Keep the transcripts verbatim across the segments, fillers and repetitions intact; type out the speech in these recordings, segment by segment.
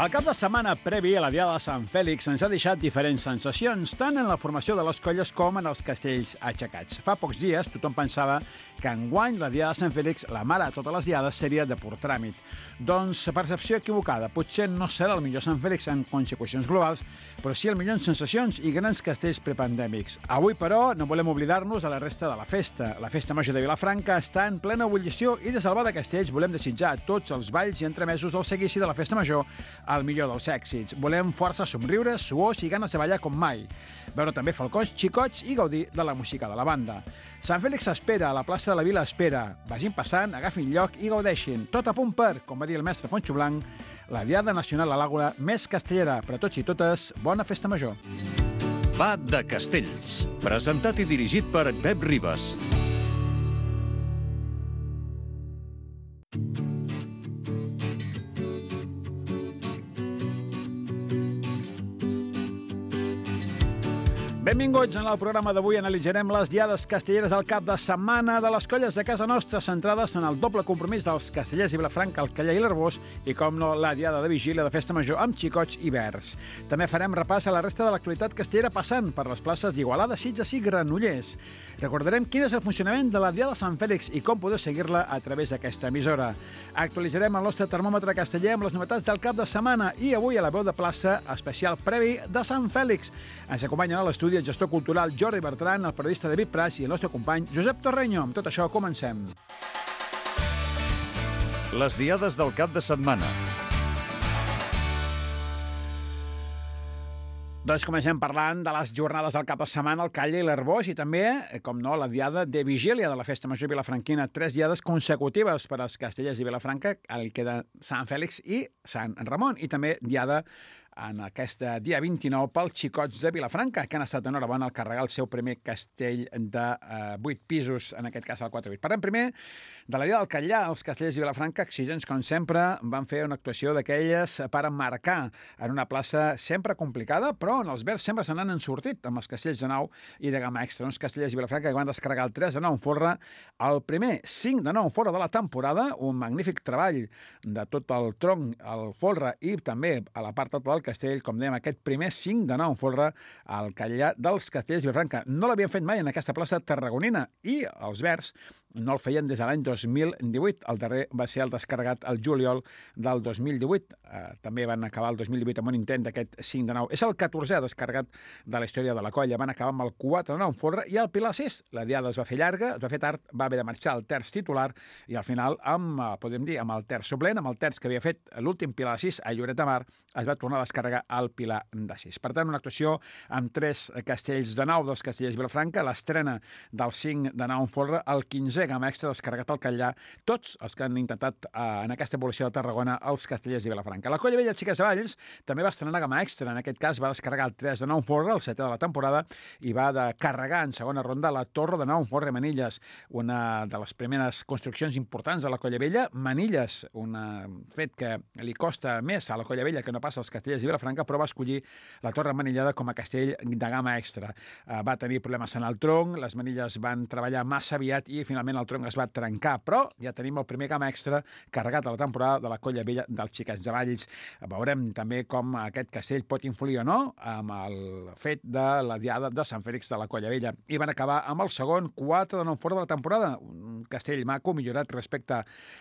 El cap de setmana previ a la Diada de Sant Fèlix ens ha deixat diferents sensacions, tant en la formació de les colles com en els castells aixecats. Fa pocs dies tothom pensava que enguany la Diada de Sant Fèlix, la mare de totes les diades, seria de pur tràmit. Doncs percepció equivocada. Potser no serà el millor Sant Fèlix en consecucions globals, però sí el millor en sensacions i grans castells prepandèmics. Avui, però, no volem oblidar-nos de la resta de la festa. La Festa Major de Vilafranca està en plena ebullició i des del Bar de Castells volem desitjar a tots els balls i entremesos del seguici de la Festa Major el millor dels èxits. Volem força somriures, suors i ganes de ballar com mai. Veure també falcons, xicots i gaudir de la música de la banda. Sant Fèlix espera, a la plaça de la Vila espera. Vagin passant, agafin lloc i gaudeixin. Tot a punt per, com va dir el mestre Fonxo Blanc, la Diada Nacional a l'Àgora més castellera. Per a tots i totes, bona Festa Major. Va de Castells, presentat i dirigit per Pep Ribas. Benvinguts. En el programa d'avui analitzarem les diades castelleres al cap de setmana de les colles de casa nostra, centrades en el doble compromís dels castellers i Vilafranca, el Callar i l'Arbós, i, com no, la diada de vigília de Festa Major amb xicots i verds. També farem repàs a la resta de l'actualitat castellera passant per les places d'Igualada, Sitges i Granollers. Recordarem quin és el funcionament de la Diada de Sant Fèlix i com podeu seguir-la a través d'aquesta emissora. Actualitzarem el nostre termòmetre casteller amb les novetats del cap de setmana i avui a la veu de plaça especial previ de Sant Fèlix. Ens acompanyen a l'estudi el gestor cultural Jordi Bertran, el periodista David Prats i el nostre company Josep Torreño. Amb tot això, comencem. Les diades del cap de setmana. Doncs comencem parlant de les jornades del cap de setmana al Callar i l'Arbós i també, com no, la diada de vigília de la Festa Major vilafranquina. Tres diades consecutives per als castellers i Vilafranca, el que de Sant Fèlix i Sant Ramon, i també diada en aquest dia vint-i-nou pels xicots de Vilafranca, que han estat enhorabona al carregar el seu primer castell de eh, vuit pisos, en aquest cas el quatre vuit. Parlem primer de la Diada del Callar. Els castellers de Vilafranca, exigents com sempre, van fer una actuació d'aquelles per emmarcar en una plaça sempre complicada, però en els verds sempre se n'han sortit amb els castells de nou i de gamma extra. Uns castellers de Vilafranca que van descarregar el tres de nou en folre, el primer cinc de nou en folre de la temporada, un magnífic treball de tot el tronc, el folre i també a la part alta del castell, com dèiem, aquest primer cinc de nou en folre al Callar dels castellers de Vilafranca. No l'havien fet mai en aquesta plaça tarragonina i els verds no el feien des de l'any dos mil divuit. El darrer va ser el descarregat al juliol del dos mil divuit. Eh, també van acabar el dos mil divuit amb un intent d'aquest cinc de nou. És el catorzè descarregat de la història de la colla. Van acabar amb el quatre de nou en folre i el Pilar sis. La diada es va fer llarga, es va fer tard, va haver de marxar el terç titular i al final, amb, podem dir, amb el terç suplent, amb el terç que havia fet l'últim Pilar sis a Lloret de Mar, es va tornar a descarregar al Pilar de sis. Per tant, una actuació amb tres castells de nou dels castellers de Vilafranca, l'estrena del cinc de nou en folre, el quinzè gamma extra descarregat al Callar, tots els que han intentat eh, en aquesta evolució de Tarragona els castellers de Vilafranca. La colla vella Xiques de Valls també va estrenar gamma extra, en aquest cas va descarregar el tres de nou en folre, el setè de la temporada, i va de carregar en segona ronda la torre de nou en folre Manilles, una de les primeres construccions importants de la colla vella. Manilles, un fet que li costa més a la colla vella que no passa als castellers de Vilafranca, però va escollir la torre manillada com a castell de gamma extra. Uh, va tenir problemes en el tronc, les manilles van treballar massa aviat i finalment el tronc es va trencar, però ja tenim el primer gamma extra carregat a la temporada de la colla vella dels Xiquets de Valls. Veurem també com aquest castell pot influir o no amb el fet de la diada de Sant Fèlix de la colla vella. I van acabar amb el segon quatre de nou fora de la temporada, un castell maco, millorat respecte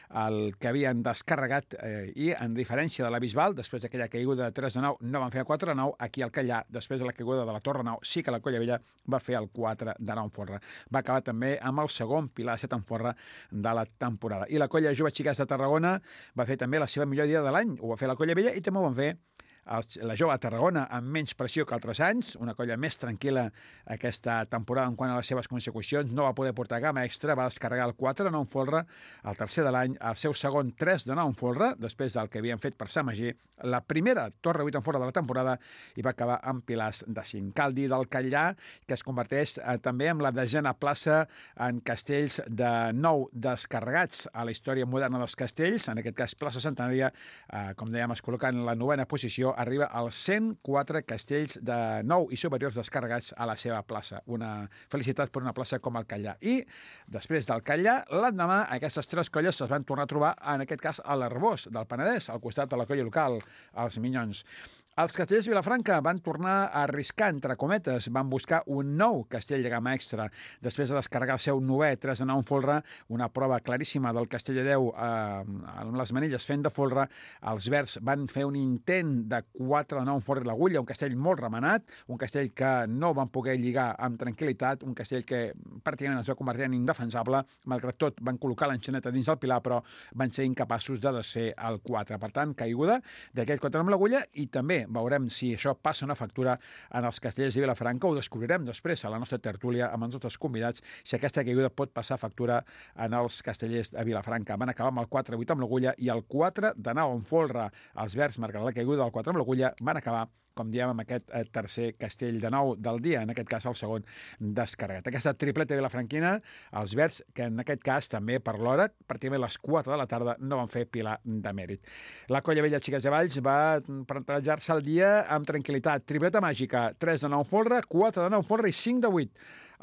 al que havien descarregat eh, i en diferència de la Bisbal, després d'aquella caiguda de tres de nou, no van fer el quatre de nou, aquí al Callar, després de la caiguda de la Torre nou, sí que la colla vella va fer el quatre de nou en folre. Va acabar també amb el segon Pilar set en folre de la temporada. I la colla Jove Xiques de Tarragona va fer també la seva millor dia de l'any, ho va fer la colla vella i també ho van fer la Jove a Tarragona amb menys pressió que altres anys, una colla més tranquil·la aquesta temporada en quant a les seves consecucions, no va poder portar gamma extra, va descarregar el quatre de nou en folre, el tercer de l'any, el seu segon tres de nou en folre, després del que havien fet per Sant Magí, la primera torre vuit en folre de la temporada i va acabar amb pilars de cinc. Cal dir del Callar, que es converteix eh, també en la desena plaça en castells de nou descarregats a la història moderna dels castells, en aquest cas plaça centenària, eh, com dèiem, es col·loca en la novena posició classificació arriba als cent quatre castells de nou i superiors descarregats a la seva plaça. Una felicitat per una plaça com el Catllar. I després del Catllar, l'endemà aquestes tres colles es van tornar a trobar, en aquest cas a l'Arbós del Penedès, al costat de la colla local, els Minyons. Els castellers de Vilafranca van tornar a arriscar, entre cometes, van buscar un nou castell de gamma extra. Després de descarregar el seu novè tres de nou en folre, una prova claríssima del castell de deu eh, amb les manilles fent de folre, els verds van fer un intent de quatre de nou en folre i l'agulla, un castell molt remenat, un castell que no van poder lligar amb tranquil·litat, un castell que pràcticament es va convertir en indefensable, malgrat tot van col·locar l'enxaneta dins del pilar, però van ser incapaços de desfer el quatre. Per tant, caiguda d'aquell quatre amb l'agulla i també veurem si això passa una factura en els castellers de Vilafranca, ho descobrirem després a la nostra tertúlia amb els nostres convidats, si aquesta caiguda pot passar factura en els castellers de Vilafranca. Van acabar amb el quatre vuit amb l'agulla i el quatre de nou en folre. Els verds, marcant la caiguda del quatre amb l'agulla, van acabar com diem, amb aquest eh, tercer castell de nou del dia, en aquest cas el segon descarregat. Aquesta tripleta vilafranquina, els verds, que en aquest cas també per l'hora, pràcticament a les quatre de la tarda, no van fer pilar de mèrit. La colla vella Xiques de Valls va plantejar-se el dia amb tranquil·litat. Tripleta màgica, tres de nou folre, quatre de nou folre i cinc de vuit.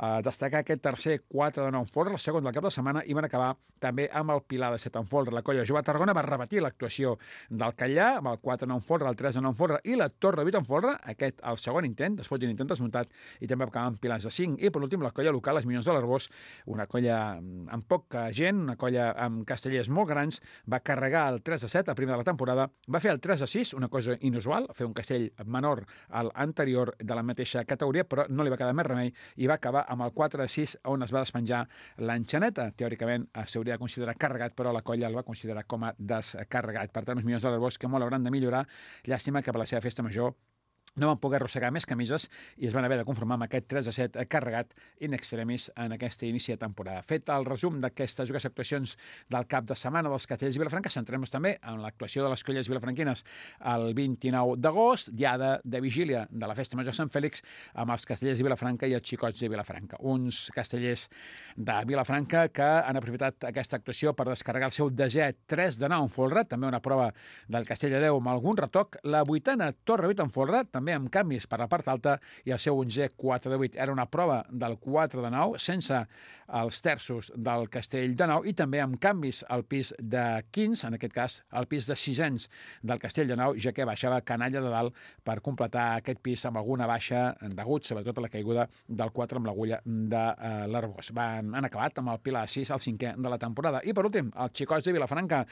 Uh, destacar aquest tercer quatre de nou en folre, el segon del cap de setmana, i van acabar també amb el pilar de set en folre. La colla Jove Tarragona va repetir l'actuació del Catllar amb el quatre de nou en folre, el tres de nou en folre i la Torre vuit en folre, aquest el segon intent, després d'un intent desmuntat, i també va acabar amb pilars de cinc. I per últim la colla local, els Minyons de l'Arbós, una colla amb poca gent, una colla amb castellers molt grans, va carregar el tres de set a primer de la temporada, va fer el tres de sis, una cosa inusual, fer un castell menor al anterior de la mateixa categoria, però no li va quedar més remei i va acabar amb el quatre de sis, on es va despenjar l'enxaneta. Teòricament s'hauria de considerar carregat, però la colla el va considerar com a descarregat. Per tant, els Minyons de l'Arbós, que molt hauran de millorar. Llàstima que per la seva festa major no van poder arrossegar més camises i es van haver de conformar amb aquest tres a set carregat in extremis en aquesta inici de temporada. Fet el resum d'aquestes dues actuacions del cap de setmana dels castellers de Vilafranca, centrem-nos també en l'actuació de les colles vilafranquines el vint-i-nou d'agost, diada de vigília de la Festa Major Sant Fèlix, amb els castellers de Vilafranca i els xicots de Vilafranca. Uns castellers de Vilafranca que han aprofitat aquesta actuació per descarregar el seu desè tres de nou en folre, també una prova del castell de deu amb algun retoc, la vuitena Torre vuit en folre, també amb canvis per la part alta, i el seu onzè quatre de vuit. Era una prova del quatre de nou, sense els terços del castell de nou, i també amb canvis al pis de quinze, en aquest cas el pis de sisens del castell de nou, ja que baixava canalla de dalt per completar aquest pis amb alguna baixa degut, sobretot a la caiguda del quatre amb l'agulla de uh, l'Arbós. Van, han acabat amb el pilar sis, el cinquè de la temporada. I per últim, els xicots de Vilafranca,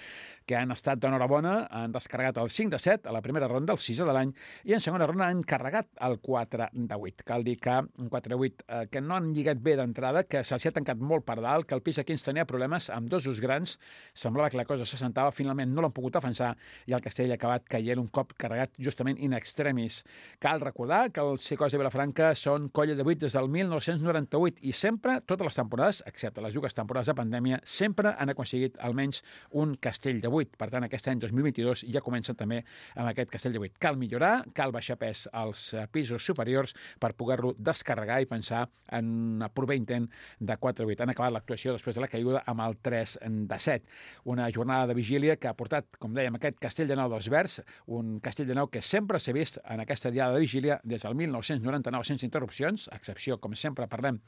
que han estat d'enhorabona, han descarregat el cinc de set a la primera ronda, el sisè de l'any, i en segona ronda han carregat el quatre de vuit. Cal dir que un quatre de vuit eh, que no han lligat bé d'entrada, que se'ls ha tancat molt per dalt, que el pis aquí ens tenia problemes amb dos us grans, semblava que la cosa se sentava, finalment no l'han pogut defensar i el castell ha acabat caient un cop carregat justament in extremis. Cal recordar que els xicots de Vilafranca són colla de vuit des del mil nou-cents noranta-vuit i sempre, totes les temporades, excepte les dues temporades de pandèmia, sempre han aconseguit almenys un castell de vuit. Per tant, aquest any dos mil vint-i-dos ja comença també amb aquest castell de vuit. Cal millorar, cal baixar pes als pisos superiors per poder-lo descarregar i pensar en un proper intent de quatre de vuit. Han acabat l'actuació després de la caiguda amb el tres de set. Una jornada de vigília que ha portat, com dèiem, aquest castell de nou dels verds, un castell de nou que sempre s'ha vist en aquesta diada de vigília des del mil nou-cents noranta-nou sense interrupcions, a excepció, com sempre parlem,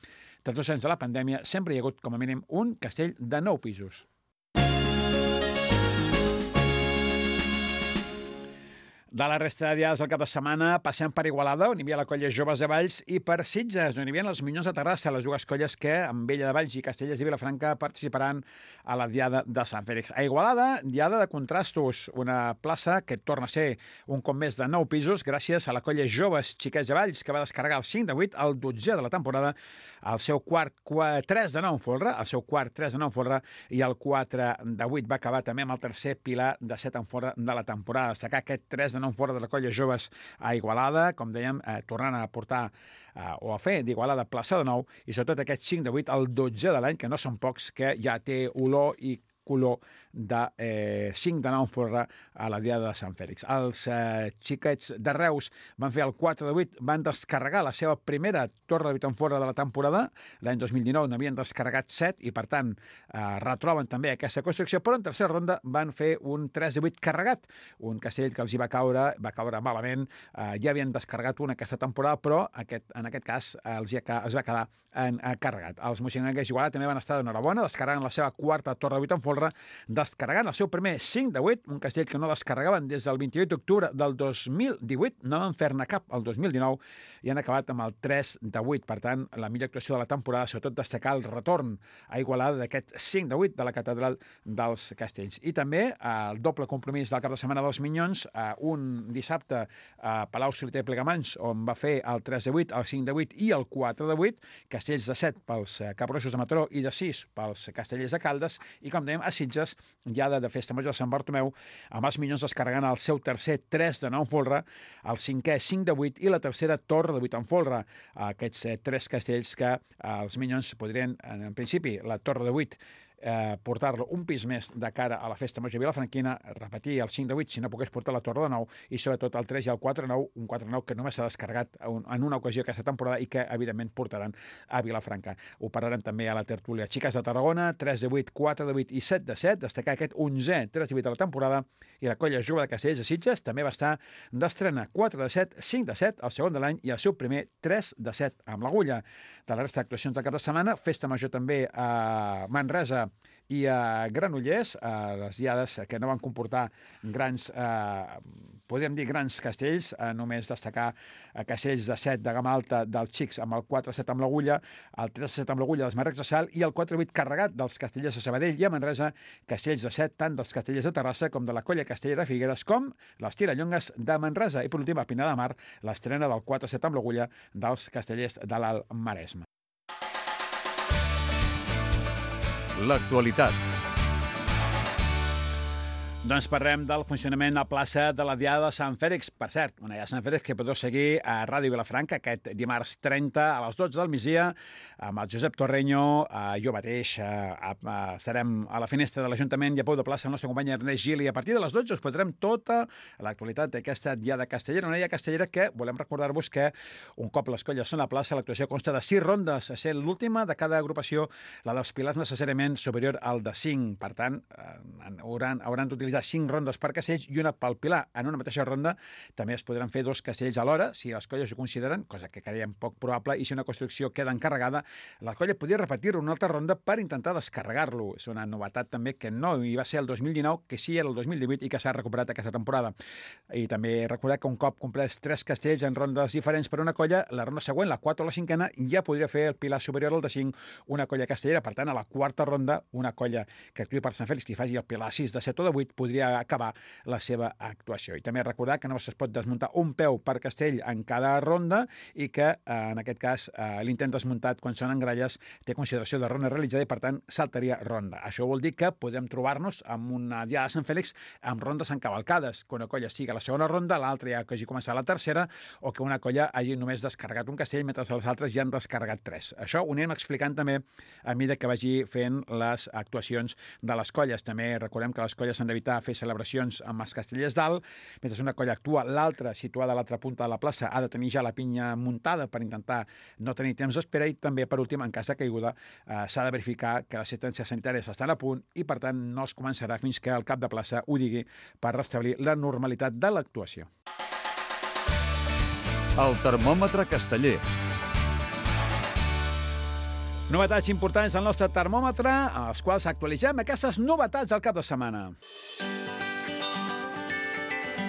dels dos anys de la pandèmia, sempre hi ha hagut com a mínim un castell de nou pisos. De la resta de dies del cap de setmana passem per Igualada, on hi havia la colla Joves de Valls, i per Sitges, on hi havia els Minyons de Terrassa, les dues colles que, amb Vella de Valls i Castellers de Vilafranca, participaran a la diada de Sant Fèlix. A Igualada, diada de contrastos, una plaça que torna a ser un cop més de nou pisos, gràcies a la colla Joves Xiquets de Valls, que va descarregar el cinc de vuit, el dotzè de la temporada, el seu quart tres de nou en folre, el seu quart tres de nou en folre, i el quatre de vuit va acabar també amb el tercer pilar de set en folre de la temporada. Destacar aquest tres de nou fora de la colla Joves a Igualada, com dèiem, eh, tornant a portar eh, o a fer d'Igualada plaça de nou, i sobretot aquest cinc de vuit, el dotzè de l'any, que no són pocs, que ja té olor i color de eh, cinc de nou en folre a la Diada de Sant Fèlix. Els eh, xiquets de Reus van fer el quatre de vuit, van descarregar la seva primera torre de vuit en folre de la temporada. L'any dos mil dinou n'havien descarregat set i, per tant, eh, retroben també aquesta construcció, però en tercera ronda van fer un tres de vuit carregat, un castell que els hi va caure, va caure malament. Eh, ja havien descarregat una aquesta temporada, però aquest, en aquest cas eh, els, hi ha, els va quedar en, en carregat. Els moixinguencs d'Igualada també van estar d'enhorabona, descarregant la seva quarta torre de vuit en folre, descarregant el seu primer cinc de vuit, un castell que no descarregaven des del vint-i-vuit d'octubre del dos mil divuit, no van fer-ne cap el dos mil dinou i han acabat amb el tres de vuit. Per tant, la millor actuació de la temporada, sobretot destacar el retorn a Igualada d'aquest cinc de vuit de la Catedral dels Castells. I també el doble compromís del cap de setmana dels Minyons, un dissabte a Palau Soliter i Plegamans, on va fer el tres de vuit, el cinc de vuit i el quatre de vuit, castells de set pels Capgrossos de Mataró i de sis pels Castellers de Caldes, i com dèiem, a Sitges, ja de Festa Major de Sant Bartomeu, amb els Minyons descarregant el seu tercer tres de nou en folre, el cinquè cinc de vuit i la tercera torre de vuit en folre. Aquests eh, tres castells que eh, els Minyons podrien, en, en principi, la torre de vuit, Eh, portar-lo un pis més de cara a la Festa Major vilafranquina, repetir el cinc de vuit si no pogués portar la torre de nou, i sobretot el tres i el quatre de nou, un quatre de nou que només s'ha descarregat en una ocasió aquesta temporada i que evidentment portaran a Vilafranca. Ho parlarem també a la tertúlia. Xiques de Tarragona, tres de vuit, quatre de vuit i set de set, destacar aquest onzè tres de vuit de la temporada, i la colla Jove de Castellers de Sitges també va estar d'estrena, quatre de set, cinc de set, el segon de l'any, i el seu primer tres de set amb l'agulla. De la resta d'actuacions del cap de setmana, Festa Major també a Manresa i a Granollers, a les diades que no van comportar grans, eh, podríem dir grans castells, eh, només destacar eh, castells de set de gamma alta dels xics amb el quatre set amb l'agulla, el tres set amb l'agulla dels Marrecs de Sal i el quatre vuit carregat dels Castellers de Sabadell, i a Manresa castells de set tant dels Castellers de Terrassa com de la colla Castellera de Figueres, com les Tirallongues de Manresa. I per últim, a Pinar de Mar, l'estrena del quatre set amb l'agulla dels Castellers de l'Alt Maresme. L'actualitat. Doncs parlem del funcionament a plaça de la Diada de Sant Fèlix. Per cert, una Diada de Sant Fèlix que podeu seguir a Ràdio Vilafranca aquest dimarts trenta a les dotze del migdia amb el Josep Torreño, jo mateix, estarem a la finestra de l'Ajuntament i a peu de plaça el nostre company Ernest Gil, i a partir de les dotze us posarem tota l'actualitat d'aquesta Diada Castellera, una Diada Castellera que volem recordar-vos que un cop les colles són a plaça, l'actuació consta de sis rondes, a ser l'última de cada agrupació, la dels pilars necessàriament superior al de cinc. Per tant, hauran, hauran d'utilitzar cinc rondes per castells i una pel pilar. En una mateixa ronda també es podran fer dos castells alhora, si les colles ho consideren, cosa que creiem poc probable, i si una construcció queda encarregada, la colla podria repetir-ho una altra ronda per intentar descarregar-lo. És una novetat també que no hi va ser el dos mil dinou, que sí era el dos mil divuit i que s'ha recuperat aquesta temporada. I també recordar que un cop complets tres castells en rondes diferents per una colla, la ronda següent, la quatre o la cinquena, ja podria fer el pilar superior al de cinc una colla castellera. Per tant, a la quarta ronda, una colla que actuï per Sant Fèlix, que faci el pilar sis de set o de vuit, podria acabar la seva actuació. I també recordar que no es pot desmuntar un peu per castell en cada ronda i que, en aquest cas, l'intent desmuntat quan són en gralles té consideració de ronda realitzada i, per tant, saltaria ronda. Això vol dir que podem trobar-nos amb una Diada de Sant Fèlix amb rondes encavalcades, que una colla sigui a la segona ronda, l'altra ja que hagi començat la tercera, o que una colla hagi només descarregat un castell mentre les altres ja han descarregat tres. Això ho anem explicant també a mesura que vagi fent les actuacions de les colles. També recordem que les colles s'han d'evitar fer celebracions amb els castellers dalt, mentre una colla actua, l'altra, situada a l'altra punta de la plaça, ha de tenir ja la pinya muntada per intentar no tenir temps d'espera, i també, per últim, en cas de caiguda, eh, s'ha de verificar que les assistències sanitàries estan a punt i, per tant, no es començarà fins que el cap de plaça ho digui per restablir la normalitat de l'actuació. El termòmetre casteller. Novetats importants del nostre termòmetre, als quals actualitzem aquestes novetats del cap de setmana.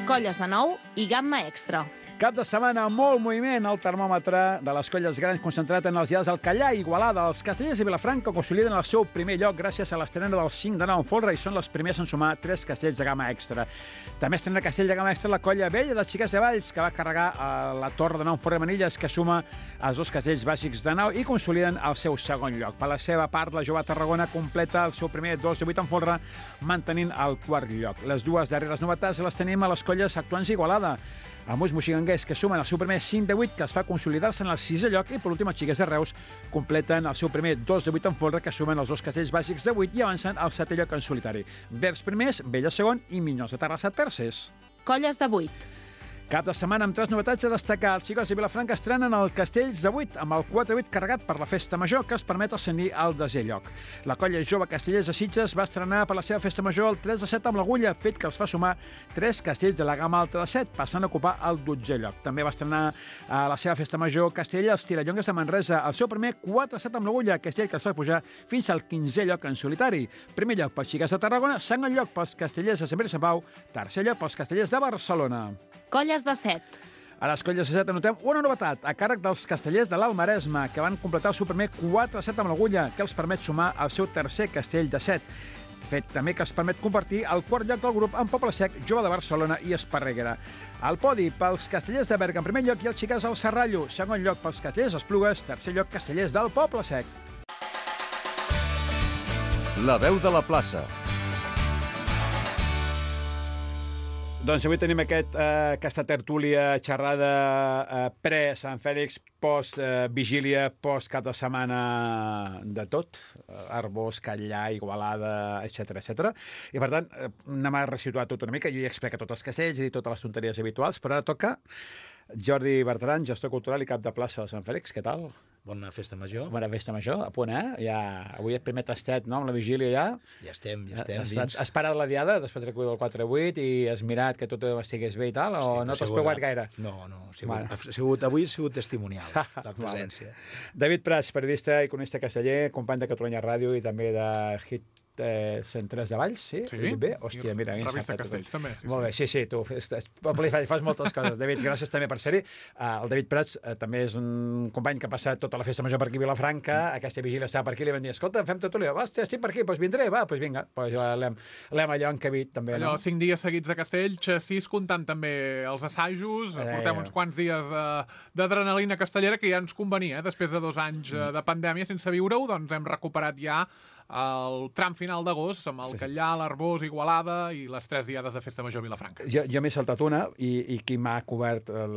Colles de nou i gamma extra. Cap de setmana, molt moviment al termòmetre de les colles grans concentrat en els dies del Callà i Igualada. Els Castellers de Vilafranca consoliden el seu primer lloc gràcies a l'estrena del cinc de nou en folre i són les primers en sumar tres castells de gamma extra. També estrena castell de gamma extra la colla vella dels Xiquets de Valls, que va carregar a la torre de nou en folre Manilles, que suma els dos castells bàsics de nou i consoliden el seu segon lloc. Per la seva part, la Jove Tarragona completa el seu primer dos de vuit en folre, mantenint el quart lloc. Les dues darreres novetats les tenim a les colles actuants d'Igualada. El Mus Moixiganga Llonguers, que sumen el seu primer cinc de vuit, que es fa consolidar-se en el sisè lloc, i per últim els Xiquets de Reus completen el seu primer dos de vuit en folre, que sumen els dos castells bàsics de vuit i avancen al setè lloc en solitari. Vers primers, Vella segon i Minyons de Terrassa tercers. Colles de vuit. Cap de setmana amb tres novetats a destacar. Els Xicots de Vilafranca estrenen el Castells de vuit amb el quatre vuit carregat per la festa major, que es permet ascendir al desè lloc. La colla jove Castellers de Sitges va estrenar per la seva festa major el tres de set amb l'Agulla, fet que els fa sumar tres castells de la gamma alta de set, passant a ocupar el dotzè lloc. També va estrenar a la seva festa major Castella els Tirallongues de Manresa, el seu primer quatre set amb l'Agulla, castell que els fa pujar fins al quinzè lloc en solitari. Primer lloc pels Xiquets de Tarragona, segon lloc pels Castellers de Sant Pere i Sant Pau, tercer lloc pels Castellers de Barcelona. Colles de set. A les colles de set anotem una novetat a càrrec dels Castellers de l'Alt Maresme, que van completar el seu primer quatre set amb l'Agulla, que els permet sumar el seu tercer castell de set. Fet també que els permet compartir el quart lloc del grup amb Poble Sec, Jove de Barcelona i Esparreguera. Al podi pels Castellers de Berga en primer lloc i els Xiquets al Serrallo. Segon lloc pels Castellers d'Esplugues, tercer lloc Castellers del Poble Sec. La veu de la plaça. Doncs avui tenim aquest, eh, aquesta tertúlia, xerrada eh, pre-Sant Fèlix, post-vigília, eh, post-cap de setmana de tot, eh, Arbós, Catllà, Igualada, etcètera, etcètera. I per tant, eh, anem a resituar tot una mica. Jo ja explico tots els castells, he dit totes les tonteries habituals, però ara toca Jordi Bertran, gestor cultural i cap de plaça de Sant Fèlix. Què tal? Bona festa major. Bona festa major, a punt, eh? Ja, avui és primer tastet, no?, amb la vigília ja. Ja estem, ja estem Has, dins. has parat la diada després de el quatre vuit i has mirat que tot estigués bé i tal, o Hosti, no t'has sigut- preuat gaire? No, no, ha sigut, Vale. ha sigut, avui ha sigut testimonial, la presència. David Prats, periodista i cronista casteller, company de Catalunya Ràdio i també de Hit eh, cent tres de Valls, sí? Sí. Ho he dit bé? Hòstia, mira, I mi revista encertat tot. Castells, també, sí, Molt sí. bé, sí, sí, tu fes, fas, fas moltes coses. David, gràcies també per ser-hi. Uh, el David Prats uh, també és un company que ha passat tota la festa major per aquí a Vilafranca, mm. aquesta vigília estava per aquí, li van dir, escolta, fem tot l'O, hòstia, estic per aquí, doncs vindré, va, doncs vinga. Pues l'hem allò encabit, també, Allò, no? cinc dies seguits a Castells, sis comptant també els assajos, Eh, portem uns quants dies eh, d'adrenalina castellera que ja ens convenia, eh? Després de dos anys eh, de pandèmia sense viure-ho, doncs hem recuperat ja el tram final d'agost amb el Sí. Catllà, l'Arbós, Igualada i les tres diades de festa major a Vilafranca. Jo, jo m'he saltat una i, i qui m'ha cobert el,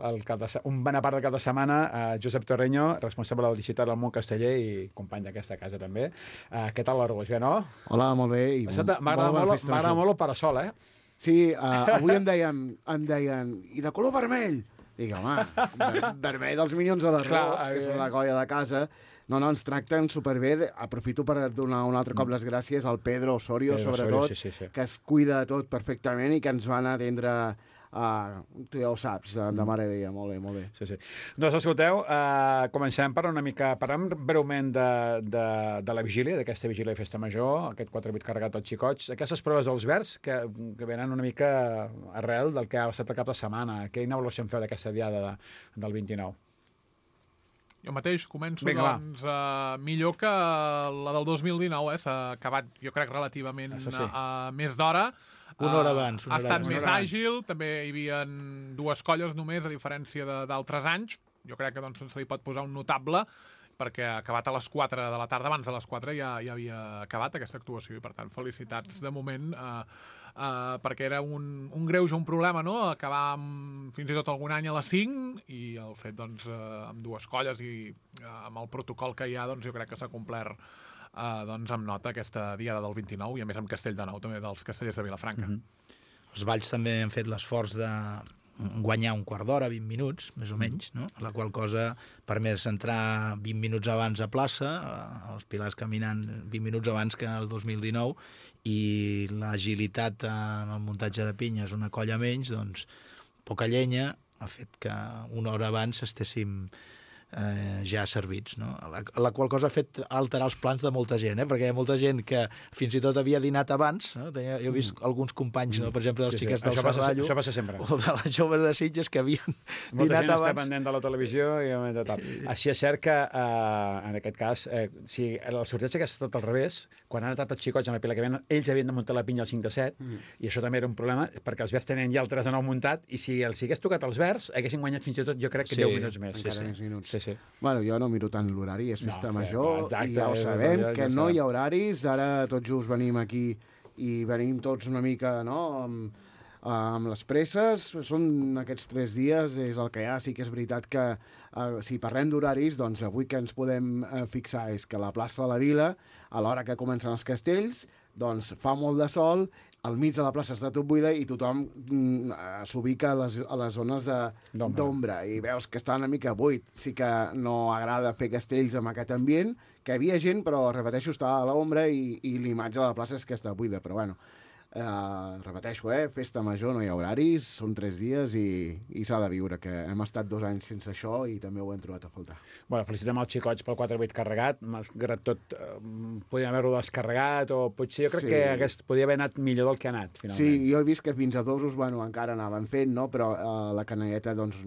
el cap de, se- un bona part del cap de setmana, uh, Josep Torreño, responsable del digital al món casteller i company d'aquesta casa també. Uh, què tal l'Arbós? Bé, no? Hola, molt bé. i M'agrada molt bona molt, festa m'agrada major. molt el parasol, eh? Sí, uh, avui em deien, em deien, i de color vermell? Dic, home, ver vermell dels Minyons de Clar, l'Arròs, que és evident. la colla de casa. No, no, ens tracten superbé. Aprofito per donar un altre cop les gràcies al Pedro Osorio, Pedro sobretot, Osorio, sí, sí, sí. que es cuida de tot perfectament i que ens van atendre, uh, tu ja ho saps, de, de meravella. Molt bé, molt bé. Sí, sí. Doncs escolteu, uh, comencem per una mica, parlem breument de, de, de la vigília, d'aquesta vigília de festa major, aquest quatre vuit carregat als xicots, aquestes proves dels verds que, que venen una mica arrel del que ha estat el cap de setmana. Quina avaluació en feu d'aquesta diada de, del vint-i-nou? Jo mateix començo, Vinga, va. doncs, uh, millor que la del dos mil dinou, eh? S'ha acabat, jo crec, relativament Això sí. uh, més d'hora. Una hora Eh, abans, una Ha hora estat abans. més Una hora abans. àgil, també hi havia dues colles només, a diferència de- d'altres anys. Jo crec que doncs, se li pot posar un notable, perquè ha acabat a les quatre de la tarda, abans de les quatre ja, ja havia acabat aquesta actuació, i per tant, felicitats de moment, eh, eh, perquè era un, un greuge, un problema, no?, acabar amb, fins i tot algun any a les cinc, i el fet, doncs, eh, amb dues colles i eh, amb el protocol que hi ha, doncs jo crec que s'ha complert eh, doncs, amb nota aquesta diada del vint-i-nou, i a més amb Castell de Nou, també dels castellers de Vilafranca. Mhm. Els Valls també han fet l'esforç de guanyar un quart d'hora, vint minuts, més o menys, no? La qual cosa permet entrar vint minuts abans a plaça, eh, els pilars caminant vint minuts abans que el dos mil dinou, i l'agilitat en el muntatge de pinyes, una colla menys, doncs poca llenya ha fet que una hora abans estéssim eh, ja servits, no? La, la qual cosa ha fet alterar els plans de molta gent, eh? Perquè hi ha molta gent que fins i tot havia dinat abans, no? Tenia, jo he vist alguns companys, no? Per exemple, dels Sí, sí. xiquets del Això passa- Serrallo, això passa sempre. o de les joves de Sitges que havien Molta dinat gent està abans. pendent de la televisió i de tal. Així és cert que, eh, en aquest cas, eh, si el sorteig hagués estat al revés, quan han estat els xicots amb la pila que venen, ells havien de muntar la pinya al cinc de set, mm. i això també era un problema, perquè els verds tenien ja el tres de nou muntat, i si els hagués tocat els verds, haguessin guanyat fins i tot, jo crec que Sí, deu minuts més. Encara més minuts. Sí, sí. Bueno, jo no miro tant l'horari, és No, festa sí, major, exacte, i ja ho és- sabem, ja- ja que ho no sabem. hi ha horaris, ara tots just venim aquí i venim tots una mica, no?, amb, Uh, amb les presses, són aquests tres dies, és el que hi ha. Sí que és veritat que uh, si parlem d'horaris, doncs avui que ens podem uh, fixar és que la plaça de la Vila, a l'hora que comencen els castells, doncs fa molt de sol, al mig de la plaça està tot buida i tothom mm, s'ubica a les, a les zones d'ombra i veus que està una mica buit. Sí que no agrada fer castells amb aquest ambient, que hi havia gent, però repeteixo, està a l'ombra i, i l'imatge de la plaça és que està buida, però bueno. Uh, repeteixo, eh? Festa major, no hi ha horaris, són tres dies i, i s'ha de viure, que hem estat dos anys sense això i també ho hem trobat a faltar. Bueno, felicitem els xicots pel quatre vuit carregat, malgrat tot, eh, podien haver-ho descarregat, o potser jo crec sí. que hagués, podia haver anat millor del que ha anat, finalment. Sí, jo he vist que fins a dosos, bueno, encara anaven fent, no? Però uh, la canalleta, doncs,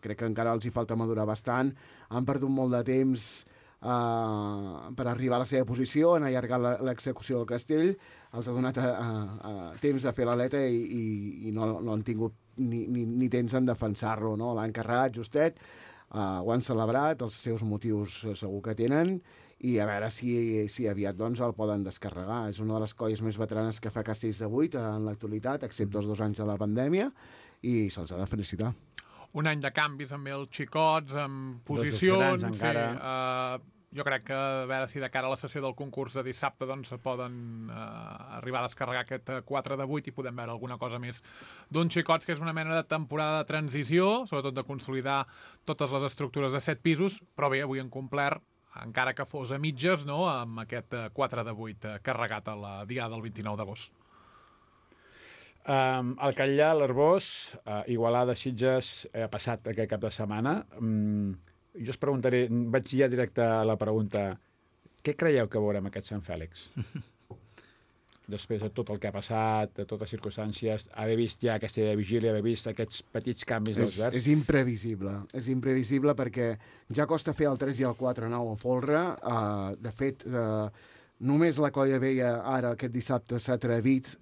crec que encara els hi falta madurar bastant, han perdut molt de temps Uh, per arribar a la seva posició, han allargat l'execució del castell, els ha donat a, a, a temps de fer l'aleta i, i, i no, no han tingut ni, ni, ni temps en defensar-lo, no? L'han carregat justet, uh, ho han celebrat, els seus motius segur que tenen, i a veure si, si aviat doncs, el poden descarregar. És una de les colles més veteranes que fa castells de vuit en l'actualitat, excepte els dos anys de la pandèmia, i se'ls ha de felicitar. Un any de canvis amb els xicots, amb posicions... Dos encara. Sí, uh, jo crec que a veure si de cara a la sessió del concurs de dissabte doncs, poden uh, arribar a descarregar aquest quatre de vuit i podem veure alguna cosa més d'un xicots, que és una mena de temporada de transició, sobretot de consolidar totes les estructures de set pisos, però bé, avui han complert, encara que fos a mitges, no?, amb aquest quatre de vuit carregat a la dia del vint-i-nou d'agost. Um, el Catllà, l'Arbós, uh, Igualada, Sitges, ha passat aquest cap de setmana. Um, jo us preguntaré, vaig ja directe a la pregunta, què creieu que veurem aquest Sant Fèlix? Després de tot el que ha passat, de totes les circumstàncies, haver vist ja aquesta vigília, haver vist aquests petits canvis dels verds... És imprevisible, és imprevisible perquè ja costa fer el tres i el quatre nou a folre. Uh, de fet, uh, només la Colla Vella ara aquest dissabte s'ha atrevit,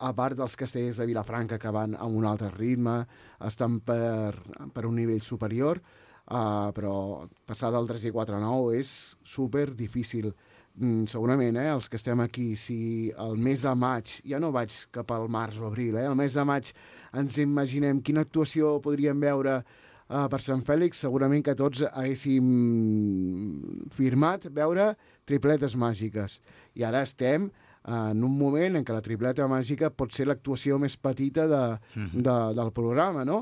a part dels castellers de Vilafranca que van amb un altre ritme, estan per, per un nivell superior, uh, però passar del tres i quatre nou és super difícil. Mm, segurament, eh, els que estem aquí, si el mes de maig, ja no vaig cap al març o abril, eh, el mes de maig ens imaginem quina actuació podríem veure uh, per Sant Fèlix, segurament que tots haguéssim firmat veure tripletes màgiques. I ara estem en un moment en què la tripleta màgica pot ser l'actuació més petita de, de, del programa, no?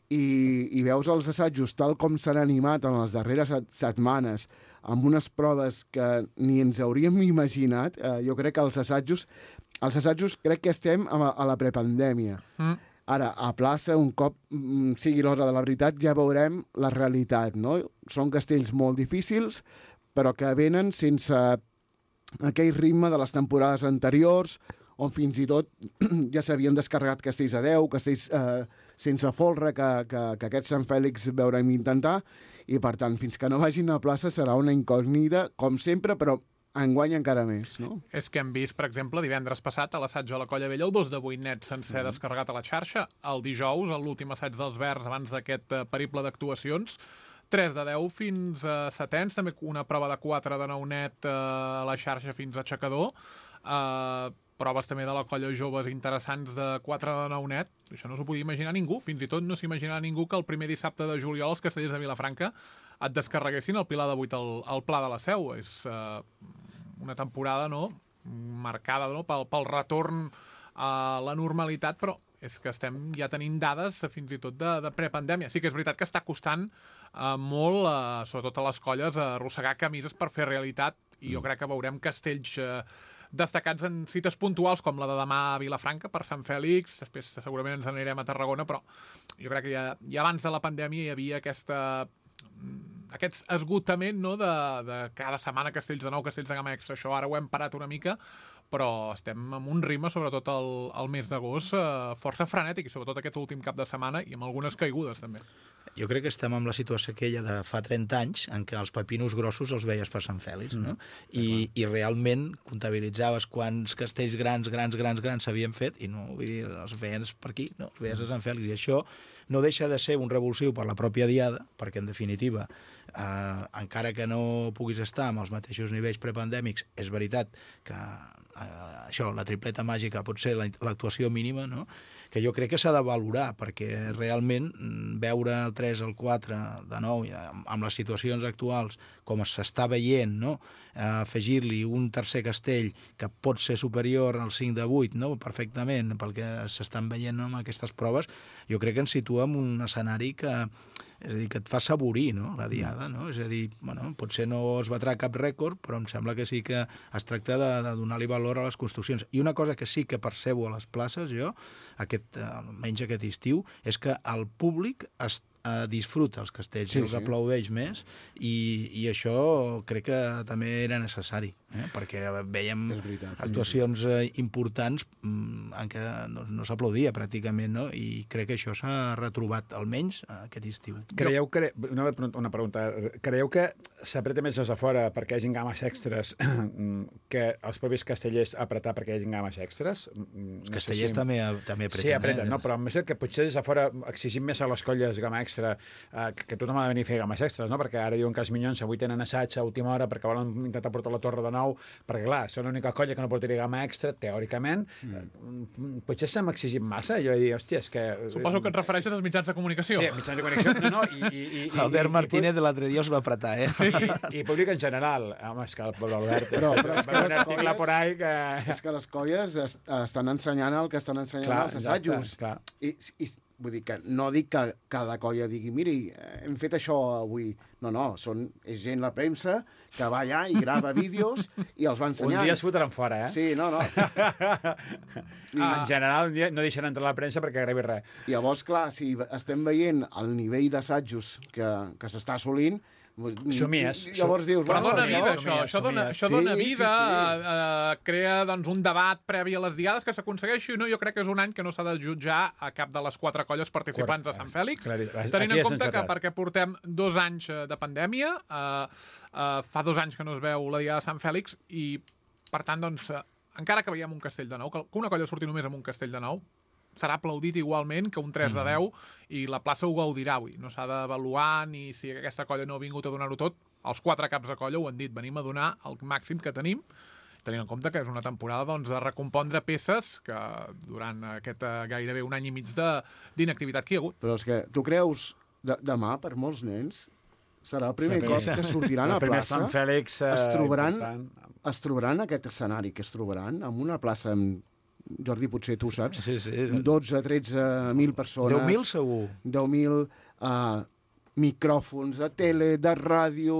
I, i veus els assajos tal com s'han animat en les darreres setmanes, amb unes proves que ni ens hauríem imaginat. Eh, jo crec que els assajos, els assajos crec que estem a, a la prepandèmia. Mm. Ara, a plaça, un cop mm, sigui l'hora de la veritat, ja veurem la realitat, no? Són castells molt difícils, però que venen sense aquell ritme de les temporades anteriors, on fins i tot ja s'havien descarregat castells a deu, castells eh, sense folre, que, que, que aquest Sant Fèlix veurem intentar, i per tant, fins que no vagin a plaça serà una incògnita, com sempre, però enguany encara més, no? És que hem vist, per exemple, divendres passat a l'assaig a la Colla Vella, el dos de vuit net sencer mm. descarregat a la xarxa, el dijous, l'últim assaig dels Verds abans d'aquest uh, periple d'actuacions, tres de deu fins a setens, també una prova de quatre de nou net uh, a la xarxa fins a aixecador, uh, proves també de la Colla Joves interessants de quatre de nou net, això no s'ho podia imaginar ningú, fins i tot no s'imaginava ningú que el primer dissabte de juliol els castellers de Vilafranca et descarreguessin el Pilar de vuit al, al Pla de la Seu. És uh, una temporada, no?, marcada, no?, pel, pel retorn a la normalitat, però és que estem ja tenint dades fins i tot de, de prepandèmia. Sí que és veritat que està costant uh, molt, uh, sobretot a les colles, uh, arrossegar camises per fer realitat, i jo crec que veurem castells uh, destacats en cites puntuals, com la de demà a Vilafranca per Sant Fèlix, després segurament ens anirem a Tarragona, però jo crec que ja, ja abans de la pandèmia hi havia aquesta, aquest esgotament, no?, de, de cada setmana castells de nou, castells de gamma extra. Això ara ho hem parat una mica, però estem amb un ritme, sobretot el, el mes d'agost, eh, força frenètic, i sobretot aquest últim cap de setmana, i amb algunes caigudes, també. Jo crec que estem amb la situació aquella de fa trenta anys, en què els pepinos grossos els veies per Sant Fèlix, no? Mm, I, I realment comptabilitzaves quants castells grans, grans, grans, grans s'havien fet, i no, vull dir, els veies per aquí, no? Els veies a Sant Fèlix, i això no deixa de ser un revulsiu per la pròpia diada, perquè en definitiva, eh, encara que no puguis estar amb els mateixos nivells prepandèmics, és veritat que eh, això, la tripleta màgica pot ser l'actuació mínima, no? Que jo crec que s'ha de valorar, perquè realment veure el tres, el quatre, de nou, amb les situacions actuals, com s'està veient, no? Eh, afegir-li un tercer castell que pot ser superior al cinc de vuit, no? Perfectament, pel que s'estan veient, no? Amb aquestes proves, jo crec que ens situa en un escenari que, és a dir, que et fa saborir, no? La diada, no? És a dir, bueno, potser no es batrà cap rècord, però em sembla que sí que es tracta de, de donar-li valor a les construccions. I una cosa que sí que percebo a les places, jo, aquest, almenys aquest estiu, és que el públic es eh, disfruta els castells, sí, i els sí. aplaudeix més, i, i això crec que també era necessari, eh? Perquè vèiem veritat, actuacions sí, sí. importants en què no, no s'aplaudia pràcticament, no? I crec que això s'ha retrobat almenys aquest estiu. Creieu que, una, una pregunta, creieu que s'apreta més des de fora perquè hi hagin games extres que els propis castellers apretar perquè hi hagin games extres? Els no castellers sé si... també, també apreten. Sí, apreten, eh? no? Però em sembla que potser des de fora exigim més a les colles gama extra, eh, que tothom ha de venir a fer games extres, no? Perquè ara diuen que els Minyons avui tenen assaig a última hora perquè volen intentar portar la torre de nou, perquè clar, són l'única colla que no portaria gama extra, teòricament. Mm. Potser s'hem exigit massa, jo he dit, hòstia, és que... Suposo que et refereixes als mitjans de comunicació. Sí, mitjans de comunicació, no, no, i... i, i Albert Martínez de l'altre dia us va apretar, eh? Sí, sí. I públic en general. Home, és que el pobre Albert... Però, però és que les colles... Por ahí que... És que les colles est estan ensenyant el que estan ensenyant clar, els assajos. Clar. I, i, vull dir que no dic que cada colla digui miri, hem fet això avui. No, no, són, és gent la premsa que va allà i grava vídeos i els va ensenyant. Un dia es fotran fora, eh? Sí, no, no. I, en general, un dia no deixen entrar la premsa perquè gravi res. I llavors, clar, si estem veient el nivell d'assajos que, que s'està assolint, somies. Llavors dius... Però dona bueno, vida, això, això. Això dona, això dona sí, vida, sí, sí. Uh, uh, crea doncs, un debat previ a les diades que s'aconsegueixi. No? Jo crec que és un any que no s'ha de jutjar a cap de les quatre colles participants de Sant Fèlix, tenint en compte que perquè portem dos anys de pandèmia, uh, uh, fa dos anys que no es veu la diada de Sant Fèlix, i per tant, doncs, uh, encara que veiem un castell de nou, que una colla surti només amb un castell de nou, serà aplaudit igualment que un tres de deu i la plaça ho gaudirà avui. No s'ha d'avaluar ni si aquesta colla no ha vingut a donar-ho tot. Els quatre caps de colla ho han dit, venim a donar el màxim que tenim, tenint en compte que és una temporada doncs, de recompondre peces que durant aquest uh, gairebé un any i mig d'inactivitat que hi ha hagut. Però és que tu creus de, demà per molts nens serà el primer sí, cop que sortiran a plaça, Sant Fèlix, uh, es trobaran, es trobaran aquest escenari que es trobaran amb una plaça amb Jordi, potser tu saps, sí, sí. dotze a tretze mil persones. deu mil segur. deu mil uh, micròfons de tele, de ràdio,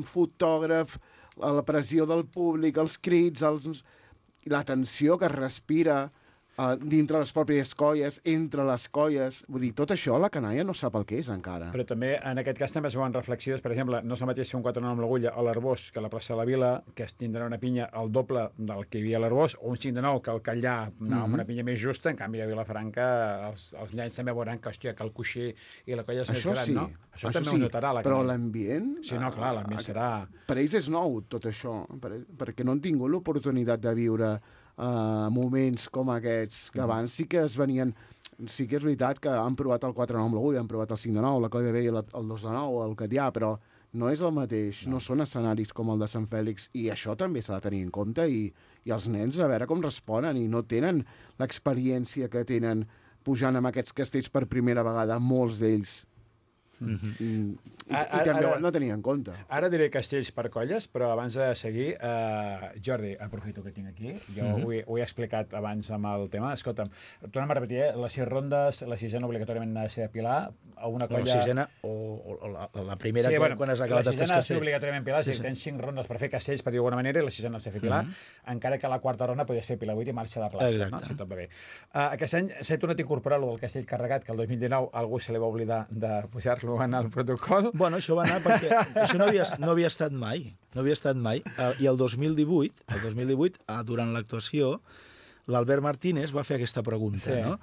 fotògraf, la pressió del públic, els crits, els... la tensió que es respira uh, dintre les pròpies colles, entre les colles. Vull dir, tot això la canalla no sap el que és encara. Però també, en aquest cas, també es veuen reflexives. Per exemple, no és el mateix fer un quatre nou amb l'Agulla a l'Arbós que a la plaça de la Vila, que es tindrà una pinya al doble del que hi havia a l'Arbós, o un cinc de nou que al Catllà anava mm -hmm. amb una pinya més justa. En canvi, a Vilafranca els, els nens també veuran que, hòstia, que el coixí i la colla és més gran, sí. no? Això, això també sí. ho notarà. La però l'ambient... Sí, no, clar, l'ambient uh, serà... Per ells és nou, tot això, per, perquè no han tingut l'oportunitat de viure uh, moments com aquests, que abans sí que es venien... Sí que és veritat que han provat el quatre nou amb l'Agulla, han provat el cinc de nou, la Colla de Vell, el dos de nou, el Catllà, però no és el mateix, no. no són escenaris com el de Sant Fèlix, i això també s'ha de tenir en compte, i, i els nens a veure com responen, i no tenen l'experiència que tenen pujant amb aquests castells per primera vegada, molts d'ells. Mm-hmm. I, i, i també ara, no tenia en compte. Ara diré castells per colles, però abans de seguir, uh, Jordi, aprofito que tinc aquí, jo mm-hmm. ho, he, ho he explicat abans amb el tema, escolta'm, tornem a repetir, eh? Les sis rondes, la sisena obligatòriament ha de ser a Pilar, a una colla... La sisena o, o la, la primera, sí, que, bueno, quan has acabat els tres castells. La sisena ha de ser obligatòriament Pilar, sí, sí. Tens cinc rondes per fer castells, per dir d'alguna manera, i la sisena ha de ser fer Pilar, mm-hmm. encara que la quarta ronda podies fer Pilar vuit i marxa de plaça, exacte. No? Si tot va bé. Uh, aquest any s'ha tornat a incorporar lo del castell carregat, que el dos mil dinou algú se li va oblidar de pujar-lo en el protocol. Bueno, això va anar perquè això no havia, no havia estat mai, no havia estat mai. Uh, I el dos mil divuit, el dos mil divuit, uh, durant l'actuació, l'Albert Martínez va fer aquesta pregunta, sí. no?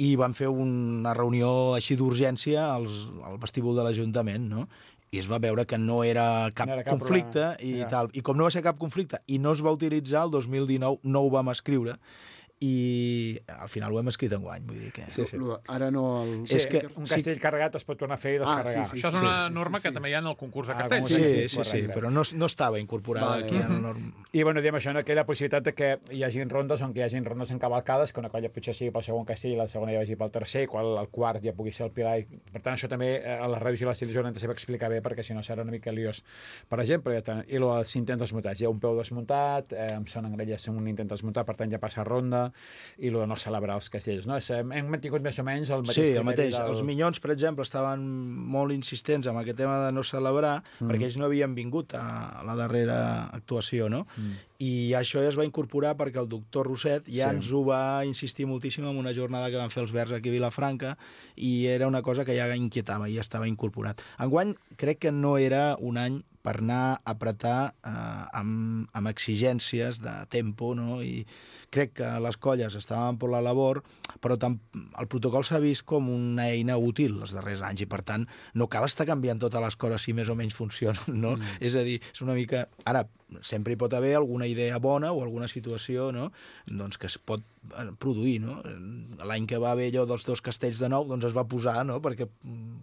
I van fer una reunió així d'urgència al vestíbul de l'Ajuntament, no? I es va veure que no era cap, no era cap conflicte i, ja. tal. I com no va ser cap conflicte i no es va utilitzar, el dos mil dinou no ho vam escriure, i al final ho hem escrit enguany, vull dir que... Sí, sí. Ara no... El... Sí, És que- un castell sí. carregat es pot tornar a fer i descarregar. Ah, sí, sí, Això és una sí, norma sí, que sí. també hi ha en el concurs de Ah, castells. Sí, Sí, sí, sí, correcte. però no, no estava incorporada Vale. aquí en el norm... I bueno, diem això, no? Que hi ha la possibilitat de que hi hagi rondes on que hi hagi rondes encavalcades, que una colla potser sigui pel segon castell i la segona ja vagi pel tercer, qual el quart ja pugui ser el pilar. I, per tant, això també eh, a la revisió de l'estil jornada s'ha d'explicar bé, perquè si no serà una mica liós. Per exemple, ja ten... i el intent desmuntats. Hi ha un peu desmuntat, eh, amb son engrelles un intent desmuntat, per tant ja passa ronda, i el de no celebrar els castells. No? Hem mantingut més o menys el mateix Sí, el criteri mateix. del... Els Minyons, per exemple, estaven molt insistents amb aquest tema de no celebrar, mm. perquè ells no havien vingut a la darrera actuació, no? Mm. I això ja es va incorporar perquè el doctor Roset ja Sí. ens ho va insistir moltíssim en una jornada que van fer els Verds aquí a Vilafranca, i era una cosa que ja inquietava, ja estava incorporat. Enguany crec que no era un any per anar a apretar eh, amb, amb exigències de tempo, no? I crec que les colles estaven per la labor, però tam el protocol s'ha vist com una eina útil els darrers anys, i per tant no cal estar canviant totes les coses si més o menys funcionen, no? Mm. És a dir, és una mica... Ara, sempre hi pot haver alguna idea bona o alguna situació, no?, doncs que es pot produir, no? L'any que va haver allò dels dos castells de nou, doncs es va posar, no?, perquè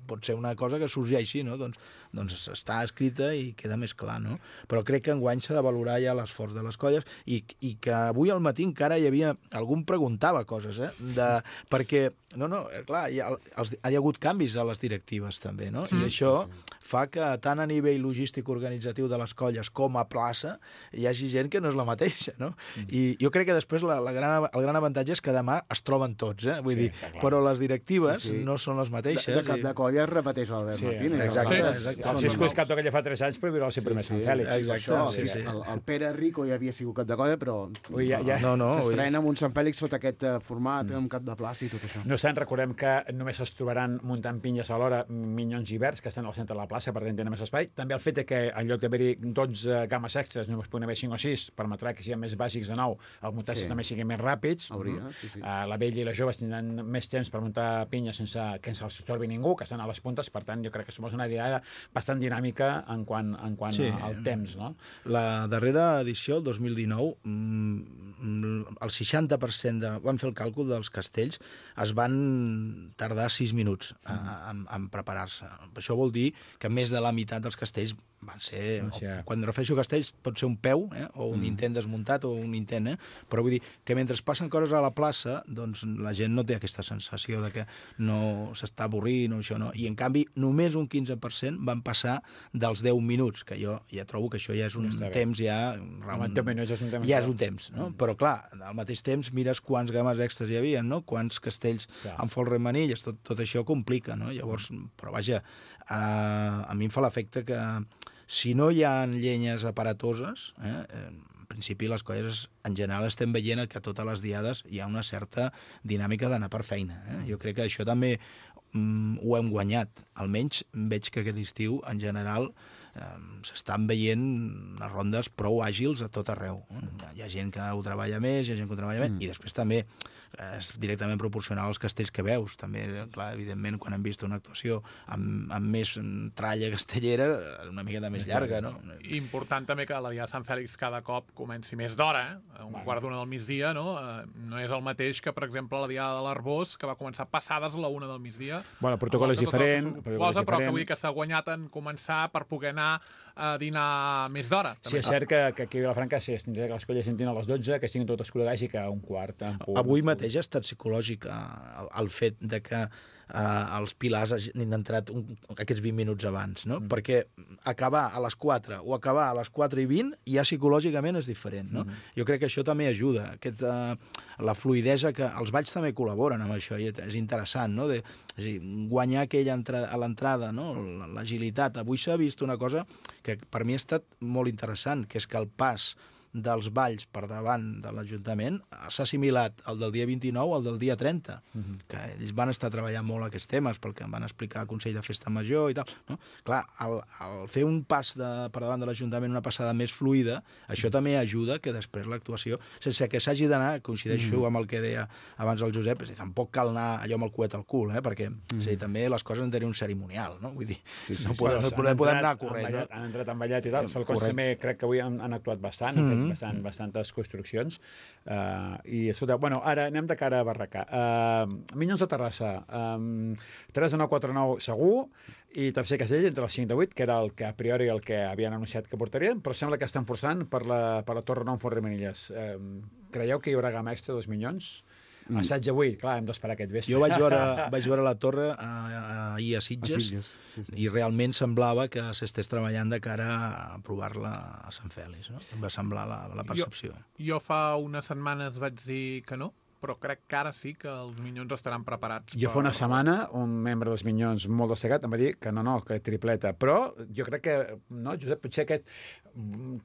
pot ser una cosa que sorgeixi, no? Doncs, doncs està escrita i queda més clar, no? Però crec que enguany s'ha de valorar ja l'esforç de les colles, i, i que avui al matí encara hi havia... Algú em preguntava coses, eh? De, perquè, no, no, clar, hi ha, els, hi ha hagut canvis a les directives també, no? Sí, I això sí, sí. fa que tant a nivell logístic organitzatiu de les colles com a plaça hi hagi gent que no és la mateixa, no? Mm. I jo crec que després la, la gran, el gran avantatge és que demà es troben tots, eh? Vull Sí, dir, però les directives sí, sí. no són les mateixes. De, de cap de colla es repeteix l'Albert Sí, Martínez. exacte, Els altres exacte. El són Cisco és nous. cap de colla fa tres anys, però viurà sempre sí, més Sant Sí, Fèlix. exacte, Això, sí, sí, sí. El, el Pere Rico ja havia sigut cap de colla, però Ui, ja- ja- No, no, s'estrena amb un Sant Fèlix sota aquest eh, format, amb cap de plaça i tot això. No obstant, recordem que només es trobaran muntant pinyes alhora Minyons i Verds, que estan al centre de la plaça, per tant tenen més espai. També el fet de que en lloc d'haver-hi dotze games extres, només poden haver cinc o sis, permetrà que siguin més bàsics de nou, els muntatges Sí. també siguin més ràpids. Hauria, sí, sí. Uh, la vella i les joves tindran més temps per muntar pinyes sense que se'ls torbi ningú, que estan a les puntes, per tant, jo crec que som una diada bastant dinàmica en quant, en quant Sí. al temps, no? La darrera edició, el dos mil dinou, mm, el seixanta per cent de... Vam fer el càlcul dels castells, es van tardar sis minuts a, a, en preparar-se. Això vol dir que més de la meitat dels castells van ser... O sigui, Quan refereixo a castells pot ser un peu, eh? o un Mm. intent desmuntat, o un intent, eh? Però vull dir que mentre passen coses a la plaça, doncs la gent no té aquesta sensació de que no s'està avorrint o això, no? I en canvi, només un quinze per cent van passar dels deu minuts, que jo ja trobo que això ja és un Està bé. temps ja... Home, deu minuts és un temps. Ja és un temps, no? Però clar, al mateix temps mires quants games extras hi havia, no? Quants castells Clar. amb folre i manilles, tot, tot això complica, no? Llavors, però vaja, a, a mi em fa l'efecte que si no hi ha llenyes aparatoses, eh, en principi les colles en general estem veient que a totes les diades hi ha una certa dinàmica d'anar per feina. Eh? Jo crec que això també mm, ho hem guanyat. Almenys veig que aquest estiu, en general, eh, s'estan veient les rondes prou àgils a tot arreu. Eh? Hi ha gent que ho treballa més, hi ha gent que ho treballa menys, mm. i després també és directament proporcional als castells que veus. També, clar, evidentment, quan hem vist una actuació amb, amb més tralla castellera, una miqueta més llarga, no? Important també que la Diada de Sant Fèlix cada cop comenci més d'hora, eh? Un Bueno. quart d'una del migdia, no? Eh, no és el mateix que, per exemple, la Diada de l'Arbós, que va començar passades a la una del migdia. Bueno, el protocol és Amb tot el que diferent, suposa, el protocol és però que diferent. vull dir que s'ha guanyat en començar per poder anar a dinar més d'hora. Sí, és cert que, que aquí a Vilafranca sí, es tindrà que les colles entrin a les dotze, que estiguin totes col·legats i que a un quart... En punt, Avui mateix ha estat psicològic eh, el, el fet de que eh, els pilars hagin entrat un, aquests vint minuts abans, no? Mm. Perquè acabar a les quatre o acabar a les quatre i vint ja psicològicament és diferent, no? Mm. Jo crec que això també ajuda, aquest, eh, la fluidesa, que els balls també col·laboren amb això, i és interessant, no? De, és a dir, guanyar aquella entrada, a l'entrada, no? L'agilitat. Avui s'ha vist una cosa que per mi ha estat molt interessant, que és que el pas dels balls per davant de l'Ajuntament s'ha assimilat el del dia vint-i-nou al del dia trenta, uh-huh. que ells van estar treballant molt aquests temes perquè em van explicar al Consell de Festa Major i tal, no? Clar, el, el fer un pas de, per davant de l'Ajuntament, una passada més fluida, això també ajuda que després l'actuació, sense que s'hagi d'anar, coincideixo uh-huh. amb el que deia abans el Josep, és a dir, tampoc cal anar allò amb el coet al cul, eh? Perquè uh-huh. és a dir, també les coses han de tenir un cerimonial, no? Vull dir, sí, sí, no, podem, Bueno, no podem, han podem entrat anar corrent, envallat, no? Han entrat envallat i tal. Els falcons Correcte. també crec que avui han, han actuat bastant, han fet mm. bastant, bastantes construccions. Uh, I, escolta, bueno, ara anem de cara a Barracà. Uh, Minyons de Terrassa, um, tres de nou, quatre de nou segur, i tercer castell entre els cinc de vuit, que era el que a priori el que havien anunciat que portarien, però sembla que estan forçant per la, per la Torre nou en Forremanilles. Um, creieu que hi haurà gamma extra dels Minyons? Mm. Assaig avui, clar, hem d'esperar aquest vespre. Jo vaig veure, vaig veure la torre ahir a, a Sitges, a Sitges sí, sí. i realment semblava que s'estés treballant de cara a provar-la a Sant Fèlix. No? Em va semblar la, la percepció. Jo, jo fa unes setmanes vaig dir que no, però crec que ara sí que els Minyons estaran preparats. Jo per... fa una setmana, un membre dels Minyons molt destacat em va dir que no, no, que tripleta. Però jo crec que, no, Josep, potser aquest...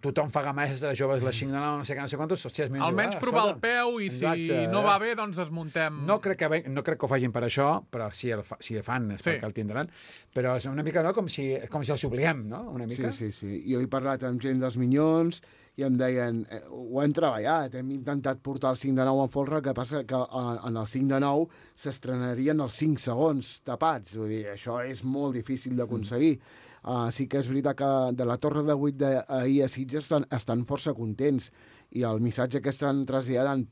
tothom fa gameses de joves les cinc de nou, no sé què, no sé quantos, hòstia, és almenys provar el peu i si Exacte, no va bé, doncs desmuntem. No crec que, no crec que ho facin per això, però si el, fa, si el fan és sí. perquè el tindran. Però és una mica no, com si, com si els obliguem, no? Una mica. Sí, sí, sí. Jo he parlat amb gent dels Minyons i em deien, eh, ho hem treballat, hem intentat portar el cinc de nou en folre, que passa que eh, en el cinc de nou s'estrenarien els cinc segons tapats. Vull dir, això és molt difícil d'aconseguir. Mm. Uh, sí que és veritat que de la Torre de vuit d'ahir a Sitges estan, estan força contents i el missatge que estan traslladant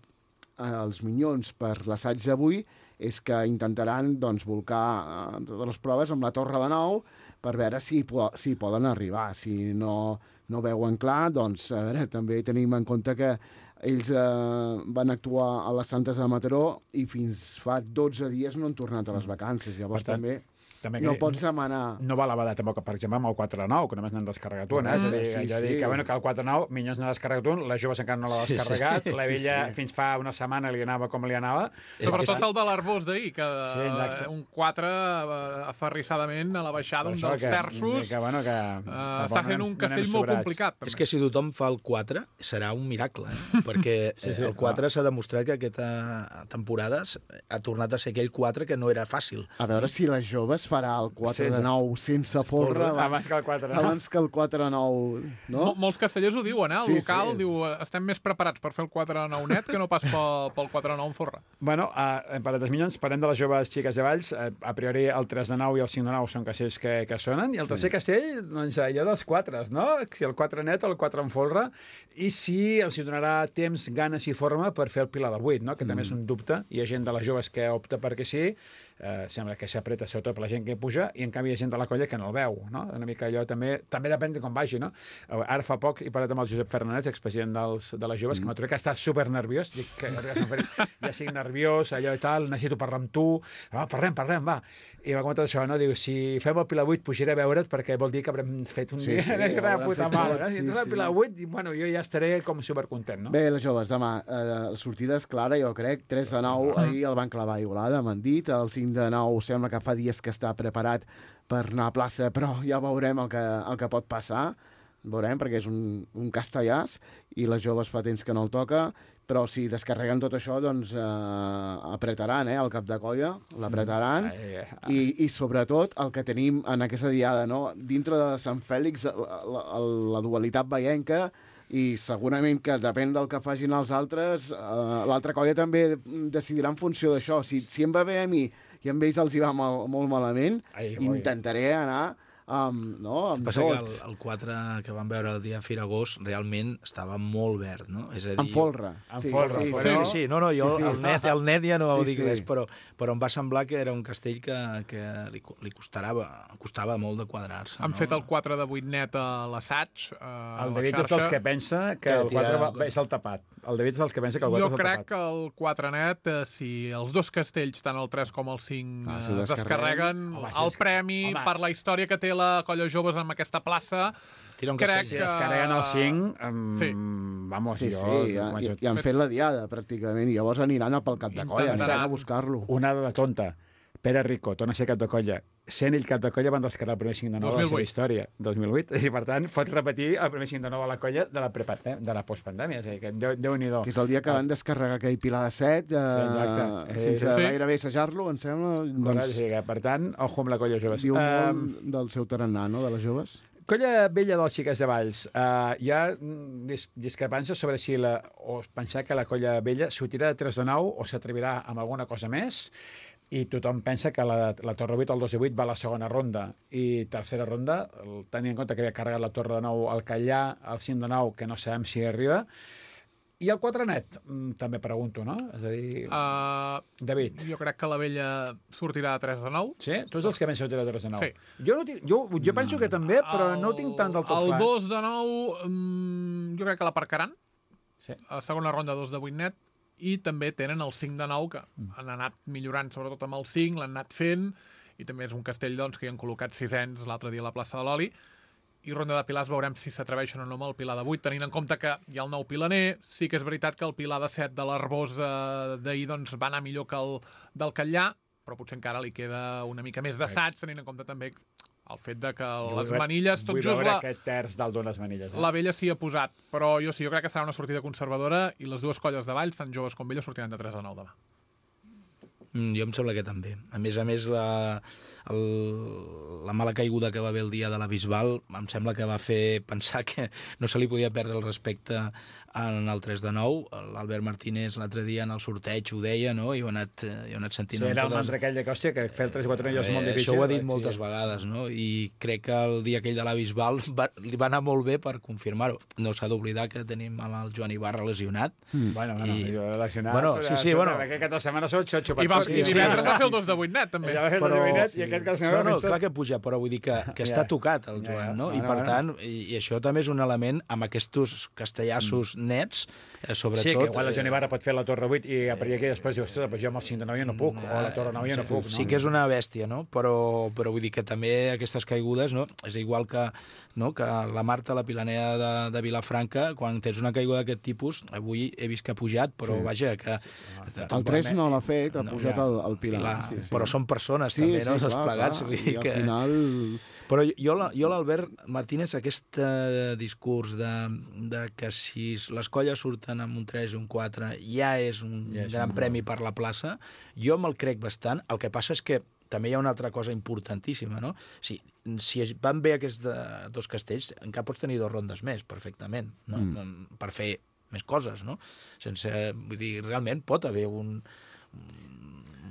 els Minyons per l'assaig d'avui és que intentaran doncs, volcar uh, totes les proves amb la Torre de nou per veure si, si poden arribar. Si no, no veuen clar, doncs a veure, també tenim en compte que ells eh, van actuar a les Santes de Mataró i fins fa dotze dies no han tornat a les vacances. Llavors tant, també... També no pots demanar... No val la tampoc, per exemple, amb el quatre de nou, que només n'han descarregat un. Eh? Mm. És a dir, sí, jo sí. dic que, bueno, que el quatre de nou, Minyons n'ha descarregat un, la Joves encara no l'ha descarregat, sí, sí. la Vella sí, sí. fins fa una setmana li anava com li anava. Sobretot el de l'Arbós d'ahir, que sí, un quatre aferrissadament a la baixada, un dels que, terços, que, bueno, que, uh, està fent un castell molt complicat. També. És que si tothom fa el quatre, serà un miracle, eh? perquè sí, sí, el quatre s'ha demostrat que aquesta temporada ha tornat a ser aquell quatre que no era fàcil. A veure si les Joves farà el quatre de nou sense folre abans, abans que el quatre de nou. Abans que el quatre de nou, no? Mol, molts castellers ho diuen, eh? El sí, local sí. diu estem més preparats per fer el quatre de nou net que no pas pel, pel quatre de nou en folre. Bueno, uh, per a tres Minyons, parlem de les Joves Xiques de Valls. Uh, a priori el tres de nou i el cinc de nou són castells que, que sonen, i el tercer sí. castell, doncs allò dels quatres, no? Si el quatre net o el quatre en folre, i si els hi donarà temps, ganes i forma per fer el pilar del vuit, no? Que mm. també és un dubte. Hi ha gent de les joves que opta perquè sí, uh, sembla que s'apreta sobretot per la gent que puja, i en canvi hi ha gent de la colla que no el veu, no? Una mica allò també, també depèn de com vagi, no? Ara fa poc he parlat amb el Josep Fernández, expresident dels, de les joves, mm. que m'ha trobat que està super nerviós, dic que ja estic nerviós, allò i tal, necessito parlar amb tu, va, parlem, parlem, va. I m'ha comentat això, no? Diu, si fem el Pilar vuit pujaré a veure't perquè vol dir que haurem fet un sí, dia sí, de puta mare, no? Sí, Si entres al Pilar vuit, bueno, jo ja estaré com supercontent, no? Bé, les joves, demà, eh, la sortida és clara, jo crec, tres de nou, mm. ahir el van clavar a Igualada, m'han dit, el cinc de nou sembla que fa dies que està preparat per anar a plaça, però ja veurem el que, el que pot passar, veurem, perquè és un, un castellàs, i les joves fa temps que no el toca, però si descarreguen tot això, doncs eh, apretaran, eh, el cap de colla, l'apretaran, mm. i, i sobretot el que tenim en aquesta diada, no? Dintre de Sant Fèlix, la, la, la dualitat veienca, i segurament que depèn del que facin els altres, eh, l'altra colla també decidirà en funció d'això. Si, si em va bé a mi i amb ells els hi va mal, molt malament, Ai, intentaré anar Um, no, amb passa tot. que el, el quatre que vam veure el dia Firagós realment estava molt verd, no? És a dir... En folre. En sí, folre. Sí, Sí, sí, sí, no, no, jo sí, sí. El, net, el net ja no sí, dic sí. res, però, però em va semblar que era un castell que, que li, li costarava, costava molt de quadrar-se. Han no? fet el quatre de vuit net a l'assaig. El David és dels que pensa que, que el quatre va, és el tapat. El David és dels que pensa que el quatre jo és el tapat. Jo crec que el quatre net, si els dos castells, tant el tres com el cinc, ah, si es descarreguen, home, el premi home. per la història que té la colla joves amb aquesta plaça, crec que... Si es carreguen el cinc, um, sí. vamos, sí, jo... Sí, ja, ja, ja han fet la diada, pràcticament, i llavors aniran a pel cap de colla, aniran a buscar-lo. Una de tonta. Pere Rico, torna a ser cap de colla. Sent ell cap de colla van descarregar el primer cinc de nou de la seva història, dos mil vuit, i per tant pot repetir el primer cinc de nou a la colla de la, de la postpandèmia, és a dir, que Déu, Déu-n'hi-do. Que és el dia que van descarregar aquell Pilar de set, eh, sí, sense sí. gairebé assajar-lo, em sembla. Doncs... Sí, per tant, ojo amb la colla joves. Diu molt um, del seu tarannà, no?, de les joves. Colla vella dels Xiques de Valls. Uh, hi ha dis discrepàncies sobre si la, o pensar que la colla vella sortirà de tres de nou o s'atrevirà amb alguna cosa més. i tothom pensa que la, la Torre vuit, el dos de vuit, va a la segona ronda, i tercera ronda, tenint en compte que havia carregat la Torre de nou al Callà, el cinc de nou, que no sabem si arriba, i el quatre net, també pregunto, no? És a dir, Uh, David. jo crec que la vella sortirà de tres de nou. Sí? Tu ets dels que pensen que de tres de nou. Sí. Jo, no tinc, jo, jo penso que també, però no ho tinc tant del tot el clar. El dos de nou, um, jo crec que l'aparcaran. Sí. A segona ronda, dos de vuit net. I també tenen el cinc de nou, que Mm. han anat millorant, sobretot amb el cinc, l'han anat fent, i també és un castell doncs, que hi han col·locat sisens l'altre dia a la plaça de l'Oli. I ronda de pilars veurem si s'atreveixen o no amb el pilar de vuit, tenint en compte que hi ha el nou pilaner. Sí que és veritat que el pilar de set de l'Arbós eh, d'ahir doncs, va anar millor que el del Catllà, però potser encara li queda una mica més d'assaig, tenint en compte també el fet de que Jo les vull- manilles, tot vull just veure la, aquest terç dalt d'unes manilles. Eh? la vella s'hi ha posat. Però jo sí, jo crec que serà una sortida conservadora i les dues colles de Valls, tant joves com velles, sortiran de tres a nou demà. Mm, jo em sembla que també. A més a més, la, el, la mala caiguda que va haver el dia de la Bisbal em sembla que va fer pensar que no se li podia perdre el respecte en el tres de nou. L'Albert Martínez l'altre dia en el sorteig ho deia, no? I ho he anat, eh, ho he anat sentint. Sí, era el totes... mantra aquell de que, hòstia, que fer el tres i quatre no és molt Eh, difícil. Això ho ha dit Sí. moltes vegades, no? I crec que el dia aquell de la Bisbal va, li va anar molt bé per confirmar-ho. No s'ha d'oblidar que tenim el Joan Ibarra lesionat. Mm. Bueno, bueno, I- I... relacionat. Bueno, però sí, sí, escolta, bueno. Aquest cap de setmana són xotxo. I, va, sí, i sí. divendres va fer el dos de vuit net, també. Ja va fer Però- el divinet i aquest cap de setmana... No, no, ha fet clar tot. que puja, però vull dir que, que Ja. està tocat el Ja, Joan, ja. no? I Bueno, per bueno. tant, i, i això també és un element amb aquests castellassos nets, eh, sobretot... Sí, que igual la Joan eh, Ibarra pot fer la Torre vuit i a partir d'aquí després diu, ostres, doncs jo amb el cinc de nou ja no puc, o la Torre nou ja no puc. Sí que és una bèstia, no? Però, però vull dir que també aquestes caigudes, no? És igual que, no? que la Marta, la pilanera de, de Vilafranca, quan tens una caiguda d'aquest tipus, avui he vist que ha pujat, però Sí. vaja, que... El tres no l'ha fet, ha No, pujat ja. el, el Pilar. Clar, sí, sí. però són persones Sí, també, sí, no? Els clar, plegats. clar. Vull dir I al que... final... Però jo, la- jo l'Albert Martínez, aquest eh, discurs de, de que si les colles surten amb un tres i un quatre ja és un Ja és gran un- premi per la plaça, jo me'l crec bastant. El que passa és que també hi ha una altra cosa importantíssima, no? Si, si es- van bé aquests de, dos castells, encara pots tenir dues rondes més, perfectament, no? Mm. Per fer més coses, no? Sense, vull dir, realment pot haver un,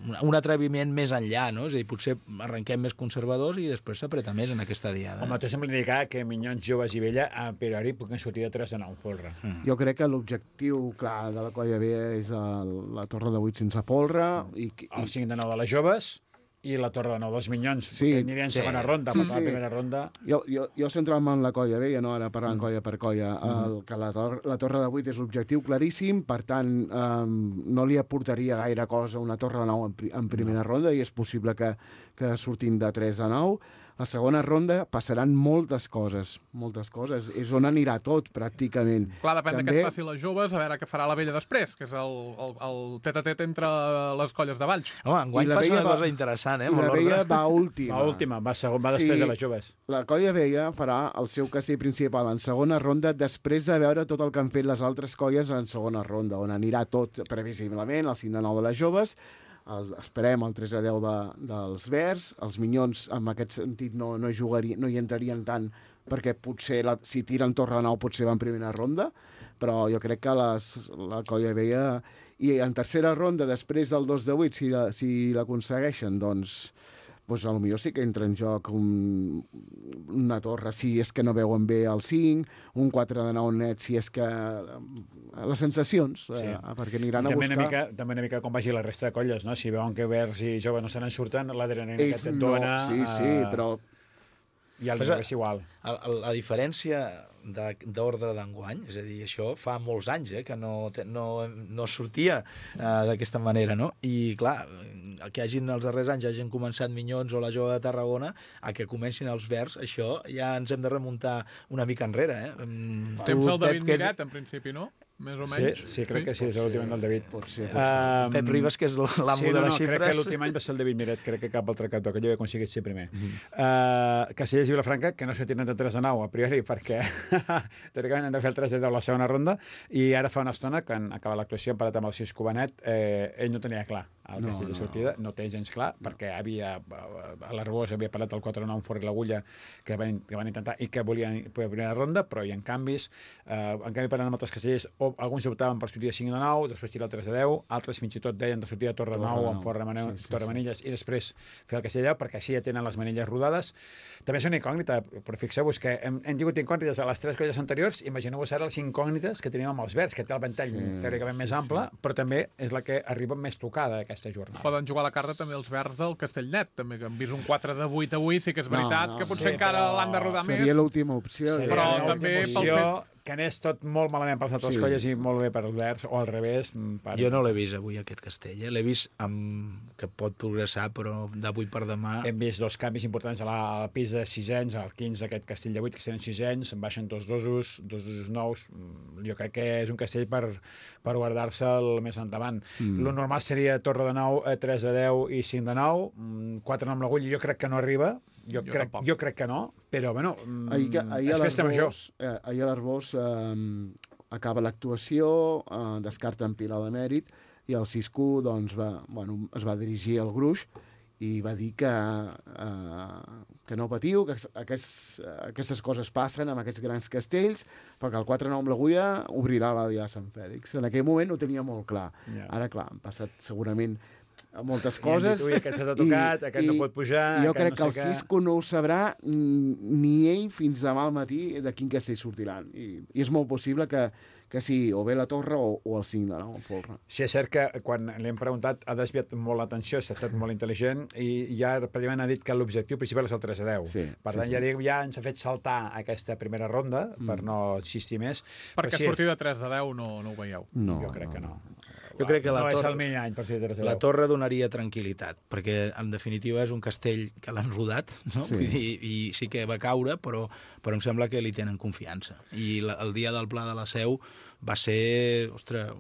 un, un atreviment més enllà, no? És a dir, potser arrenquem més conservadors i després s'apreta més en aquesta diada. Home, tu sembla indicar que Minyons, Joves i Vella, a priori, puguin sortir de tres de nou, folre. Mm. Jo crec que l'objectiu clar de la colla B és el, la Torre de vuit sense folre i, i El cinc de nou de les Joves i la Torre de nou dels Minyons, Sí, que aniria en sí. segona ronda, Sí, perquè sí. la primera ronda... jo, jo, jo centrant-me en la colla B, no ara parlant Mm. colla per colla, el, que la, tor la Torre de vuit és l'objectiu claríssim, per tant um, no li aportaria gaire cosa una Torre de nou en, pri en primera ronda i és possible que, que surtin de tres a nou. La segona ronda passaran moltes coses, moltes coses. És on anirà tot, pràcticament. Clar, depèn de També- què es faci les joves, a veure què farà la vella després, que és el, el, el tet-a-tet entre les colles de Valls. Home, enguany I la passa Vella una va- cosa interessant, eh? I amb la l'ordre. Vella va última. Va última, va, segon, va després Sí. de les Joves. La colla vella farà el seu castell principal en segona ronda després de veure tot el que han fet les altres colles en segona ronda, on anirà tot previsiblement, el cinc de nou de les joves, el, esperem el tres a deu de, dels verds, els minyons en aquest sentit no, no, jugarien, no hi entrarien tant perquè potser la, si tiren torre de nou potser va en primera ronda, però jo crec que les, la colla vella i en tercera ronda després del dos de vuit si, la, si l'aconsegueixen doncs doncs potser sí que entra en joc un, una torre si és que no veuen bé el cinc, un quatre de nou net si és que... les sensacions, Sí. eh, perquè aniran I a també buscar... una, mica, també una mica com vagi la resta de colles, no? Si veuen que Verds i Joves no se n'en surten, l'adrenalina que Ells et no, dona... sí, sí, eh, però I el Però- Joves igual. El- el- La diferència de- d'ordre d'enguany, és a dir, això fa molts anys eh, que no, te- no, no sortia eh, d'aquesta manera, no? I, clar, el que hagin els darrers anys hagin començat Minyons o la Jove de Tarragona, a que comencin els Verds, això ja ens hem de remuntar una mica enrere, eh? Mm, Temps tu, el David Pep, que és- Miret, en principi, no? Més o Sí, menys. sí, crec que sí, és l'últim any del David. pot ser, pot ser. Um, Pep Ribas, que és l'amo sí, no, de no, les crec que xifres. l'últim any va ser el David Miret, crec que cap altre cantó, que ell havia aconseguit ser primer. Mm -hmm. uh, Castellers i Vilafranca, que no sortiran de tres a nou, a priori, perquè teòricament han de fer el tres a deu la segona ronda, i ara fa una estona, que han acabat l'actuació, han parat amb el sis Cubanet, eh, ell no tenia clar al No, castell de no, sortida, no té gens clar, perquè havia, a l'Arbós havia parlat del quatre nou en Forri l'Agulla, que van, que van intentar i que volien per primera ronda, però hi ha canvis. Eh, en canvi, parlant amb altres castellers, o, alguns optaven per sortir de cinc de nou, després tirar el tres de deu, altres fins i tot deien de sortir de Torre de nou amb Forre Mane- sí, sí, Torre sí. Manilles i després fer el castell de deu, perquè així ja tenen les manilles rodades. També és una incògnita, però fixeu-vos que hem, hem tingut incògnites a les tres colles anteriors, imagineu-vos ara les incògnites que teníem amb els verds, que té el ventall Sí, teòricament més sí, ample, però també és la que arriba més tocada aquesta jornada. Poden jugar a la carta també els verds del Castellnet, també, que han vist un quatre de vuit avui, sí que és No, veritat no, que potser sí, encara però l'han de rodar més. Seria l'última opció. Seria Però una també última pel opció que anés tot molt malament per les altres Sí. colles i molt bé per els verds, o al revés. Per... Jo no l'he vist avui, aquest castell. Eh? L'he vist amb... que pot progressar, però d'avui per demà... Hem vist dos canvis importants a la, al pis de sisens, al quinze aquest castell de vuit, que tenen sisens, en baixen dos dosos, dos dosos nous. Mm, Jo crec que és un castell per, per guardar-se'l més endavant. Mm. Lo normal seria Torre de nou, eh, tres de deu i cinc de nou, mm, quatre no amb l'agulla, jo crec que no arriba, jo, Jo crec, tampoc. jo crec que no, però bueno, mm, Ahir, que- ahir és a festa major. l'Arbós eh, ahir a l'Arbós eh, acaba l'actuació, eh, descarten Pilar de Mèrit, i el Cisco doncs, va, bueno, es va dirigir al Gruix i va dir que, eh, que no patiu, que aquests, aquestes coses passen amb aquests grans castells, perquè el quatre nou amb l'agulla obrirà la Diada de Sant Fèlix. En aquell moment ho tenia molt clar. Ja. Ara, clar, han passat segurament moltes I han coses. dit, ui, aquest s'ha tocat, aquest no pot pujar, i jo aquest crec no que el sé què. Cisco no ho sabrà mm, ni ell fins demà al matí de quin castell sortiran. I, i és molt possible que, que sigui o bé la Torre o, o el cinc de nou, el Folre. Sí, és cert que quan li hem preguntat ha desviat molt l'atenció, s'ha estat molt intel·ligent i ja pràcticament ha dit que l'objectiu principal és el tres a deu. Sí, per sí, tant, sí. ja, dic, ja ens ha fet saltar aquesta primera ronda Mm. per no insistir més. Perquè Però sí, sortir de tres de deu no, no ho veieu. No, jo crec que no. Jo crec que la no és torre- el millor any per sortir de tres a La deu. torre donaria tranquil·litat, perquè en definitiva és un castell que l'han rodat, no? Sí. Vull dir, i sí que va caure, però, però em sembla que li tenen confiança. I la, el dia del Pla de la Seu va ser, ostres,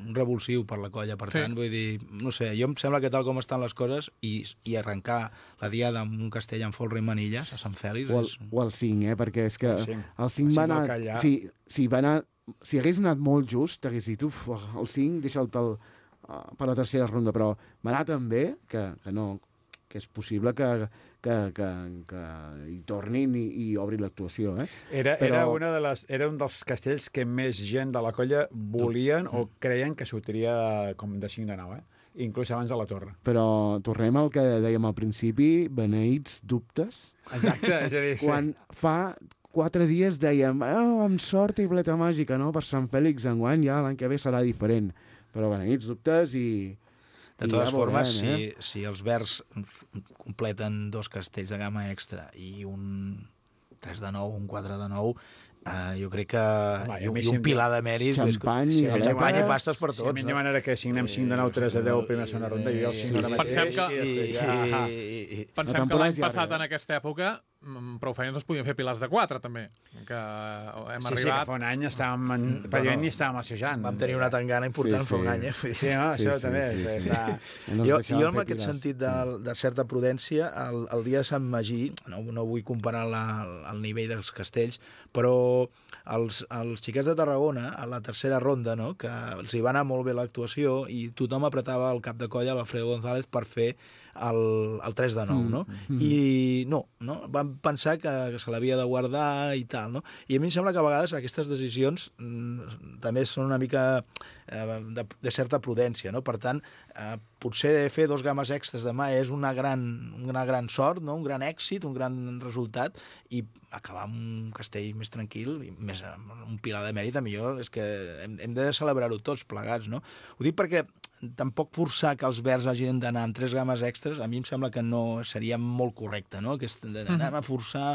un revulsiu per la colla. Per Sí. tant, vull dir, no sé, jo em sembla que tal com estan les coses i, i arrencar la diada amb un castell amb folre i manilles a Sant Fèlix O el, és... o el cinc, eh? Perquè és que El cinc. el cinc El va cinc del anar... Callà. Si, si, va anar si hagués anat molt just, t'hagués dit, uf, el cinc, deixa'l tal, uh, per la tercera ronda, però va anar tan bé que, que no, que és possible que, que, que, que hi tornin i, i obrin l'actuació, eh? Era, Però- era, una de les, era un dels castells que més gent de la colla volien o creien que sortiria com de cinc de nou, eh? Inclús abans de la torre. Però tornem al que dèiem al principi, beneïts dubtes. Exacte, és a dir, sí. Quan fa quatre dies dèiem, oh, amb sort i bleta màgica, no? Per Sant Fèlix enguany ja l'any que ve serà diferent. Però beneïts dubtes i... De i totes ja formes, veurem, eh? si, si els verds f- completen dos castells de gamma extra i un tres de nou, un quatre de nou, eh, jo crec que... Home, i, a mi un- i si un em pilar de mèrits... Xampany Sí, i el galetes. xampany i pastes per Si a tots. mi em no? diuen ara que signem cinc de nou, tres de deu, primera segona ronda, jo el cinc de Sí, mateix. Pensem que- i I, després ja... i, i, i, Pensem que temporada l'any és llarga, passat, eh? en aquesta època, mm, prou feines es podien fer pilars de quatre, també. Que hem Sí, sí, que arribat... fa un any estàvem, en, pràcticament ni estàvem assajant. vam tenir una tangana important Sí, fa un sí. any. Eh? Vull dir, Sí, no, Sí, això sí, també. sí, és, sí. clar. No ens jo, deixaven jo en fer aquest pilars. sentit de, de certa prudència, el, el dia de Sant Magí, no, no vull comparar la, el nivell dels castells, però els, els xiquets de Tarragona, a la tercera ronda, no, que els hi va anar molt bé l'actuació i tothom apretava el cap de colla a l'Alfredo González per fer el, el tres de nou, no? Mm, mm. I no, no, van pensar que, que se l'havia de guardar i tal, no? I a mi em sembla que a vegades aquestes decisions mm, també són una mica eh, de, de certa prudència, no? Per tant, eh, potser fer dos games extras demà és una gran, una gran sort, no? Un gran èxit, un gran resultat, i acabar amb un castell més tranquil, i més amb un pilar de mèrit, a millor és que hem, hem de celebrar-ho tots plegats, no? Ho dic perquè tampoc forçar que els verds hagin d'anar amb tres games extras, a mi em sembla que no seria molt correcte, no? Aquest, d'anar a forçar...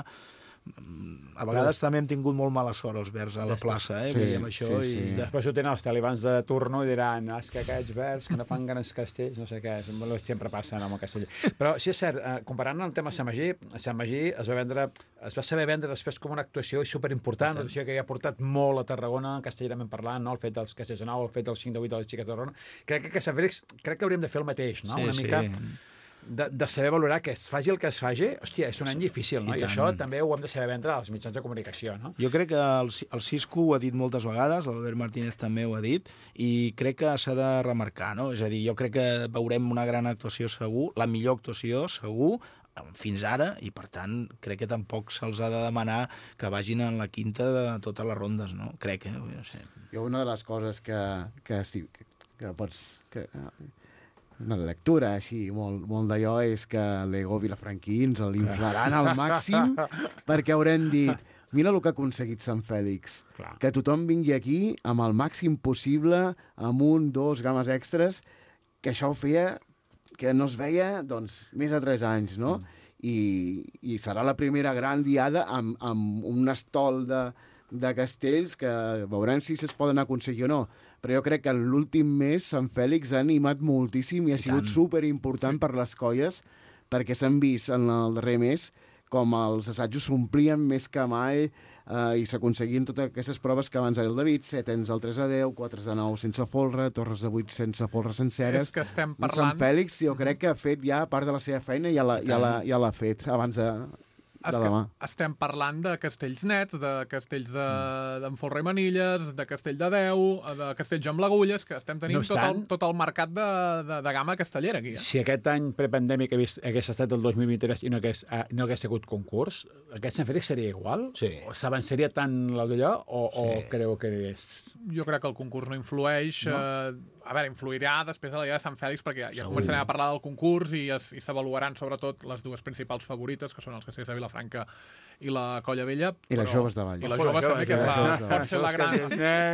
A vegades també hem tingut molt mala sort els verds a la plaça, eh? Sí, Vull dir, amb això, sí, sí. i... Després ho tenen els talibans de turno i diran és que aquests verds que no fan grans castells, no sé què, sempre passa amb el castell. Però sí és cert, eh, comparant el tema Sant Magí, Sant Magí es va vendre, es va saber vendre després com una actuació superimportant, una actuació que ha portat molt a Tarragona, castellerament parlant, no? El fet dels castells de nou, el fet dels cinc de vuit de les xiques de Tarragona. Crec que a Sant Fèlix, crec que hauríem de fer el mateix, no? Sí, una sí. mica de, de saber valorar que es faci el que es faci, hòstia, és un any difícil, no? I I, I tant. això també ho hem de saber vendre als mitjans de comunicació, no? Jo crec que el, el Cisco ho ha dit moltes vegades, l'Albert Martínez també ho ha dit, i crec que s'ha de remarcar, no? És a dir, jo crec que veurem una gran actuació segur, la millor actuació segur, fins ara, i per tant crec que tampoc se'ls ha de demanar que vagin en la quinta de totes les rondes, no? Crec, eh? No sé. Jo una de les coses que, que, sí, que, que pots... Que, una lectura així molt, molt d'allò és que l'Ego Vilafranquí ens l'inflaran al màxim perquè haurem dit mira el que ha aconseguit Sant Fèlix. Clar. Que tothom vingui aquí amb el màxim possible, amb un, dos games extres, que això ho feia, que no es veia, doncs, més de tres anys, no? Mm. I, i serà la primera gran diada amb, amb un estol de, de castells que veurem si es poden aconseguir o no. Però jo crec que en l'últim mes Sant Fèlix ha animat moltíssim i ha sigut superimportant sí. per les colles, perquè s'han vist en el darrer mes com els assajos s'omplien més que mai eh, i s'aconseguien totes aquestes proves que abans ha dit el David, setens al tres a deu, quatre de nou sense folre, torres de vuit sense folre senceres. És que estem parlant... Sant Fèlix jo crec que ha fet ja part de la seva feina i ja l'ha ja ja l'ha fet abans de... Es que estem parlant de castells nets, de castells d'en de, Folre i Manilles, de castell de deu, de castells amb l'agulles, que estem tenint no tot, el, tot el mercat de, de, de gamma castellera aquí. Eh? Si aquest any prepandèmic hagués, hagués estat el dos mil vint-i-tres i no hagués, uh, no hagués hagut concurs, aquest Sant Fèlix seria igual? Sí. O s'avançaria tant d'allò o, sí. o creu que és... Jo crec que el concurs no influeix... No? Eh, a veure, influirà després de la Dia de Sant Fèlix perquè ja, ja començarem a parlar del concurs i, es, i s'avaluaran sobretot les dues principals favorites, que són els castells de Vilafranca i la Colla Vella. I les joves de Valls. I les joves també, que és la, pot, ser la gran,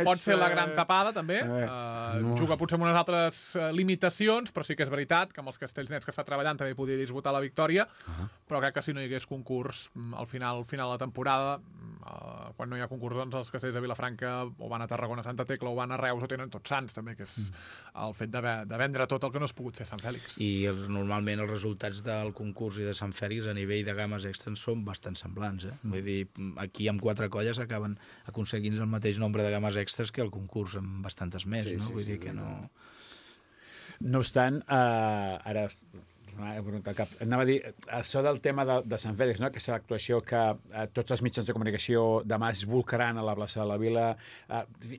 pot ser la gran tapada, també. Uh, no. Juga potser amb unes altres uh, limitacions, però sí que és veritat que amb els castells nets que està treballant també podria disputar la victòria, uh -huh. però crec que si no hi hagués concurs al final, al final de la temporada, uh, quan no hi ha concurs, doncs els castells de Vilafranca o van a Tarragona, Santa Tecla, o van a Reus, o tenen tots Sants, també, que és mm. el fet de, de vendre tot el que no es pogut fer a Sant Fèlix. I el, normalment els resultats del concurs i de Sant Fèlix a nivell de games extens són bastant semblants. Eh? Vull dir, aquí amb quatre colles acaben aconseguint el mateix nombre de games extras que el concurs amb bastantes més, sí, no? Sí, Vull sí, dir que sí, no... No obstant, eh, ara cap. Anava a dir, això del tema de, de Sant Fèlix, no? Aquesta actuació que eh, tots els mitjans de comunicació demà es volcaran a la plaça de la Vila. Eh,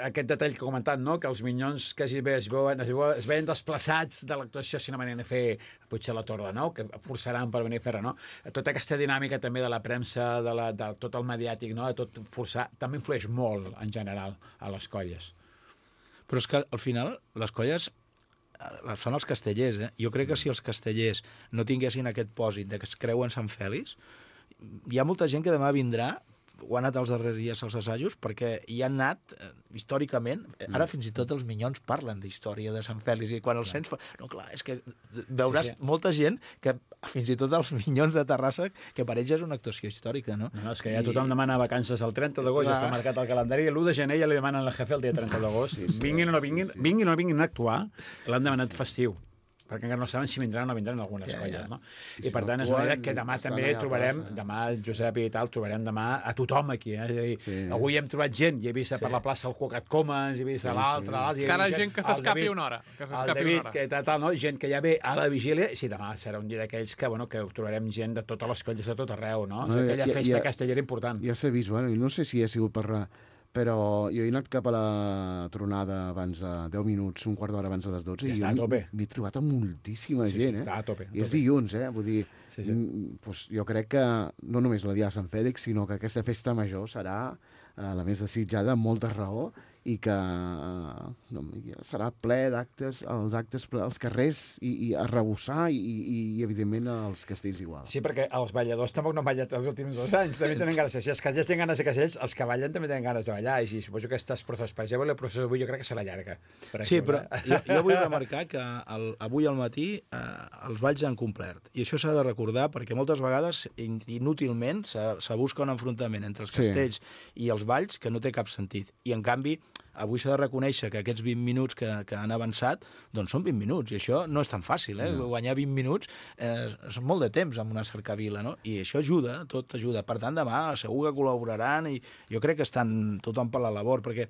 aquest detall que he comentat, no? Que els minyons quasi bé es veuen, es veuen, es veuen desplaçats de l'actuació si no venien a fer potser la Torre de Nou, que forçaran per venir a fer-la, no? Tota aquesta dinàmica també de la premsa, de, la, de tot el mediàtic, no? De tot forçar, també influeix molt, en general, a les colles. Però és que, al final, les colles són els castellers, eh? Jo crec que si els castellers no tinguessin aquest pòsit de que es creuen Sant Fèlix, hi ha molta gent que demà vindrà, o ha anat els darrers dies als assajos, perquè hi han anat, eh, històricament, ara fins i tot els minyons parlen d'història de Sant Fèlix, i quan els sents... No, clar, és que veuràs sí, sí. molta gent que, fins i tot els minyons de Terrassa, que per ells és una actuació històrica, no? No, és que ja I... tothom demana vacances el trenta d'agost, ja està marcat al calendari, i l'u de gener ja li demanen al jefe el dia trenta d'agost. Sí, sí, vinguin o no vinguin, sí. vinguin o no vinguin a actuar, l'han demanat festiu, perquè encara no saben si vindran o no vindran algunes ja, colles, no? I, I si per tant, és una idea que demà també trobarem, demà el Josep i tal, trobarem demà a tothom aquí, eh? És a dir, sí. avui hem trobat gent, i he vist sí. per la plaça el Cuocat Comens, he vist sí, l'altre, sí. l'altre... Encara gent que s'escapi una hora. Que el David, que tal, tal, no? Gent que ja ve a la vigília, sí, demà serà un dia d'aquells que, bueno, que trobarem gent de totes les colles de tot arreu, no? no aquella ja, festa ja, castellera important. Ja s'ha vist, bueno, no sé si ha sigut per... Però jo he anat cap a la tronada abans de deu minuts, un quart d'hora abans de les dotze, ja i m'he trobat amb moltíssima sí, gent, sí, eh? a tope, a tope. I és dilluns, eh? Vull dir, sí, sí. Pues, jo crec que no només la Dia de Sant Fèlix, sinó que aquesta festa major serà eh, la més desitjada, amb molta raó, i que eh, no, serà ple d'actes, els actes als carrers, i, i a rebossar, i, i, i evidentment als castells igual. Sí, perquè els balladors tampoc no han ballat els últims dos anys, també tenen ganes. Si els castells tenen ganes de castells, els que ballen també tenen ganes de ballar, i suposo que aquestes processos, per exemple, la processó d'avui jo crec que serà llarga. Per sí, exemple. Però jo, jo vull remarcar que el, avui al matí eh, els balls han complert, i això s'ha de recordar perquè moltes vegades inútilment se, se busca un enfrontament entre els castells sí. i els balls que no té cap sentit, i en canvi avui s'ha de reconèixer que aquests vint minuts que, que han avançat, doncs són vint minuts, i això no és tan fàcil, eh? No. Guanyar vint minuts eh, és molt de temps amb una cercavila, no? I això ajuda, tot ajuda. Per tant, demà segur que col·laboraran, i jo crec que estan tothom per la labor, perquè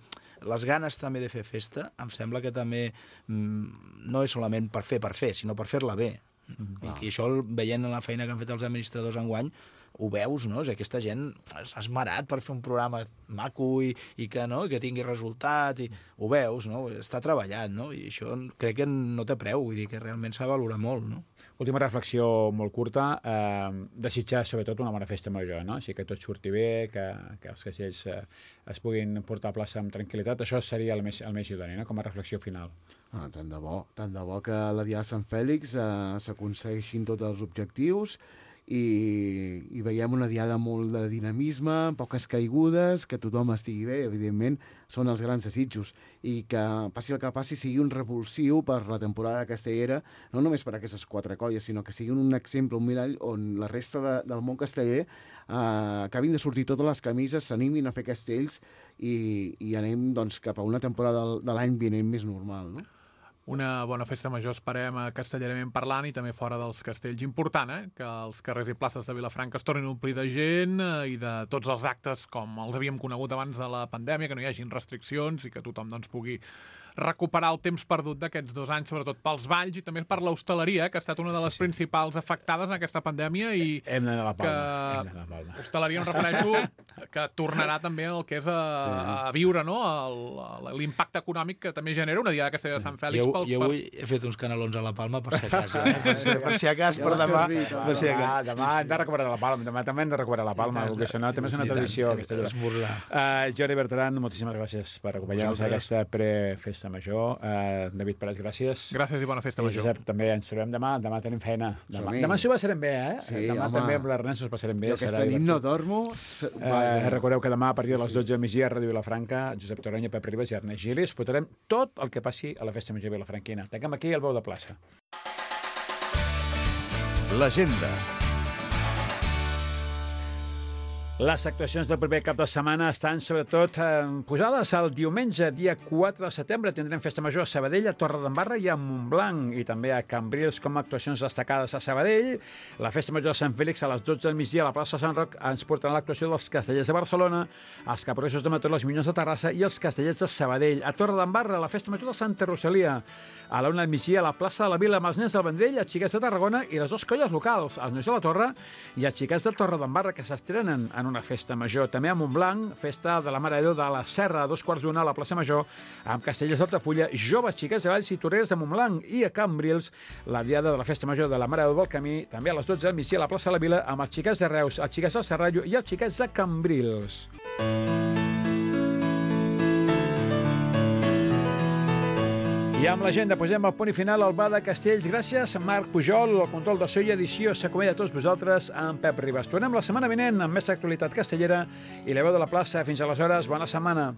les ganes també de fer festa, em sembla que també mm, no és solament per fer per fer, sinó per fer-la bé. I, I això, veient la feina que han fet els administradors enguany, ho veus, no? És aquesta gent s'ha esmerat per fer un programa maco i, i que, no? que tingui resultat, i ho veus, no? Està treballat, no? I això crec que no té preu, vull dir que realment s'ha valorat molt, no? Última reflexió molt curta, eh, desitjar sobretot una bona festa major, no? Així que tot surti bé, que, que els castells eh, es puguin portar a plaça amb tranquil·litat, això seria el més, el més idoni, no? Com a reflexió final. Ah, tant de bo, tant de bo que la Diada de Sant Fèlix eh, s'aconsegueixin tots els objectius i, i veiem una diada molt de dinamisme, poques caigudes, que tothom estigui bé, evidentment, són els grans desitjos, i que passi el que passi sigui un revulsiu per la temporada castellera, no només per aquestes quatre colles, sinó que sigui un exemple, un mirall on la resta de, del món casteller eh, acabin de sortir totes les camises, s'animin a fer castells i, i anem doncs, cap a una temporada de, de l'any vinent més normal, no? Una bona festa major, esperem, castellerament parlant, i també fora dels castells. Important, eh? Que els carrers i places de Vilafranca es tornin a omplir de gent eh, i de tots els actes com els havíem conegut abans de la pandèmia, que no hi hagin restriccions i que tothom doncs, pugui recuperar el temps perdut d'aquests dos anys, sobretot pels balls i també per l'hostaleria, que ha estat una de les sí, sí. principals afectades en aquesta pandèmia. I hem d'anar a la Palma. Que... Hem d'anar a la Palma. Hostaleria, em refereixo, que tornarà també el que és a, sí. a viure, no? L'impacte econòmic que també genera una diada de Castella de Sant Fèlix. Jo, pel, jo avui per... he fet uns canelons a la Palma per si acaso, eh? per, si, per si acaso, per demà. Per si demà, demà hem de recuperar la Palma, demà també hem de recuperar la Palma, perquè això no, també és una tradició. Esmorzar. Uh, Jordi Bertran, moltíssimes gràcies per acompanyar-nos a aquesta prefesta major. Uh, David Pérez, gràcies. Gràcies i bona festa major. Josep, també ens trobem demà. Demà tenim feina. Demà, demà s'ho passarem bé, eh? Sí, demà home. també amb l'Ernest s'ho passarem bé. Jo aquesta nit no dormo. Eh, recordeu que demà a partir de les dotze del migdia a Ràdio Vilafranca, Josep Torrenya, Pep Ribas i Ernest Gilis portarem tot el que passi a la festa major vilafranquina. Tanquem aquí el Veu de Plaça. L'agenda. Les actuacions del proper cap de setmana estan sobretot eh, posades el diumenge, dia quatre de setembre. Tindrem festa major a Sabadell, a Torredembarra i a Montblanc, i també a Cambrils com a actuacions destacades a Sabadell. La festa major de Sant Fèlix a les dotze del migdia a la plaça Sant Roc ens portarà l'actuació dels castellers de Barcelona, els caporresos de Mataró, els Minyons de Terrassa i els castellers de Sabadell. A Torredembarra, la festa major de Santa Rosalia, a la una del migdia a la plaça de la Vila amb els nens del Vendrell, els xiquets de Tarragona i les dues colles locals, els nois de la Torre i els xiquets de Torredembarra, que s'estrenen en una festa major. També a Montblanc, festa de la Mare de Déu de la Serra, a dos quarts d'una a la plaça Major, amb castellers d'Altafulla, joves xiquets de Valls i Torreres de Montblanc, i a Cambrils, la diada de la festa major de la Mare de Déu del Camí, també a les dotze del migdia a la plaça de la Vila, amb els xiquets de Reus, els xiquets del Serrallo i els xiquets de Cambrils. I amb l'agenda posem el punt i final al Bar de Castells. Gràcies, Marc Pujol, el control de so i edició. S'acomiada a tots vosaltres amb Pep Ribas. Tornem la setmana vinent amb més actualitat castellera i la Veu de la Plaça. Fins aleshores, bona setmana.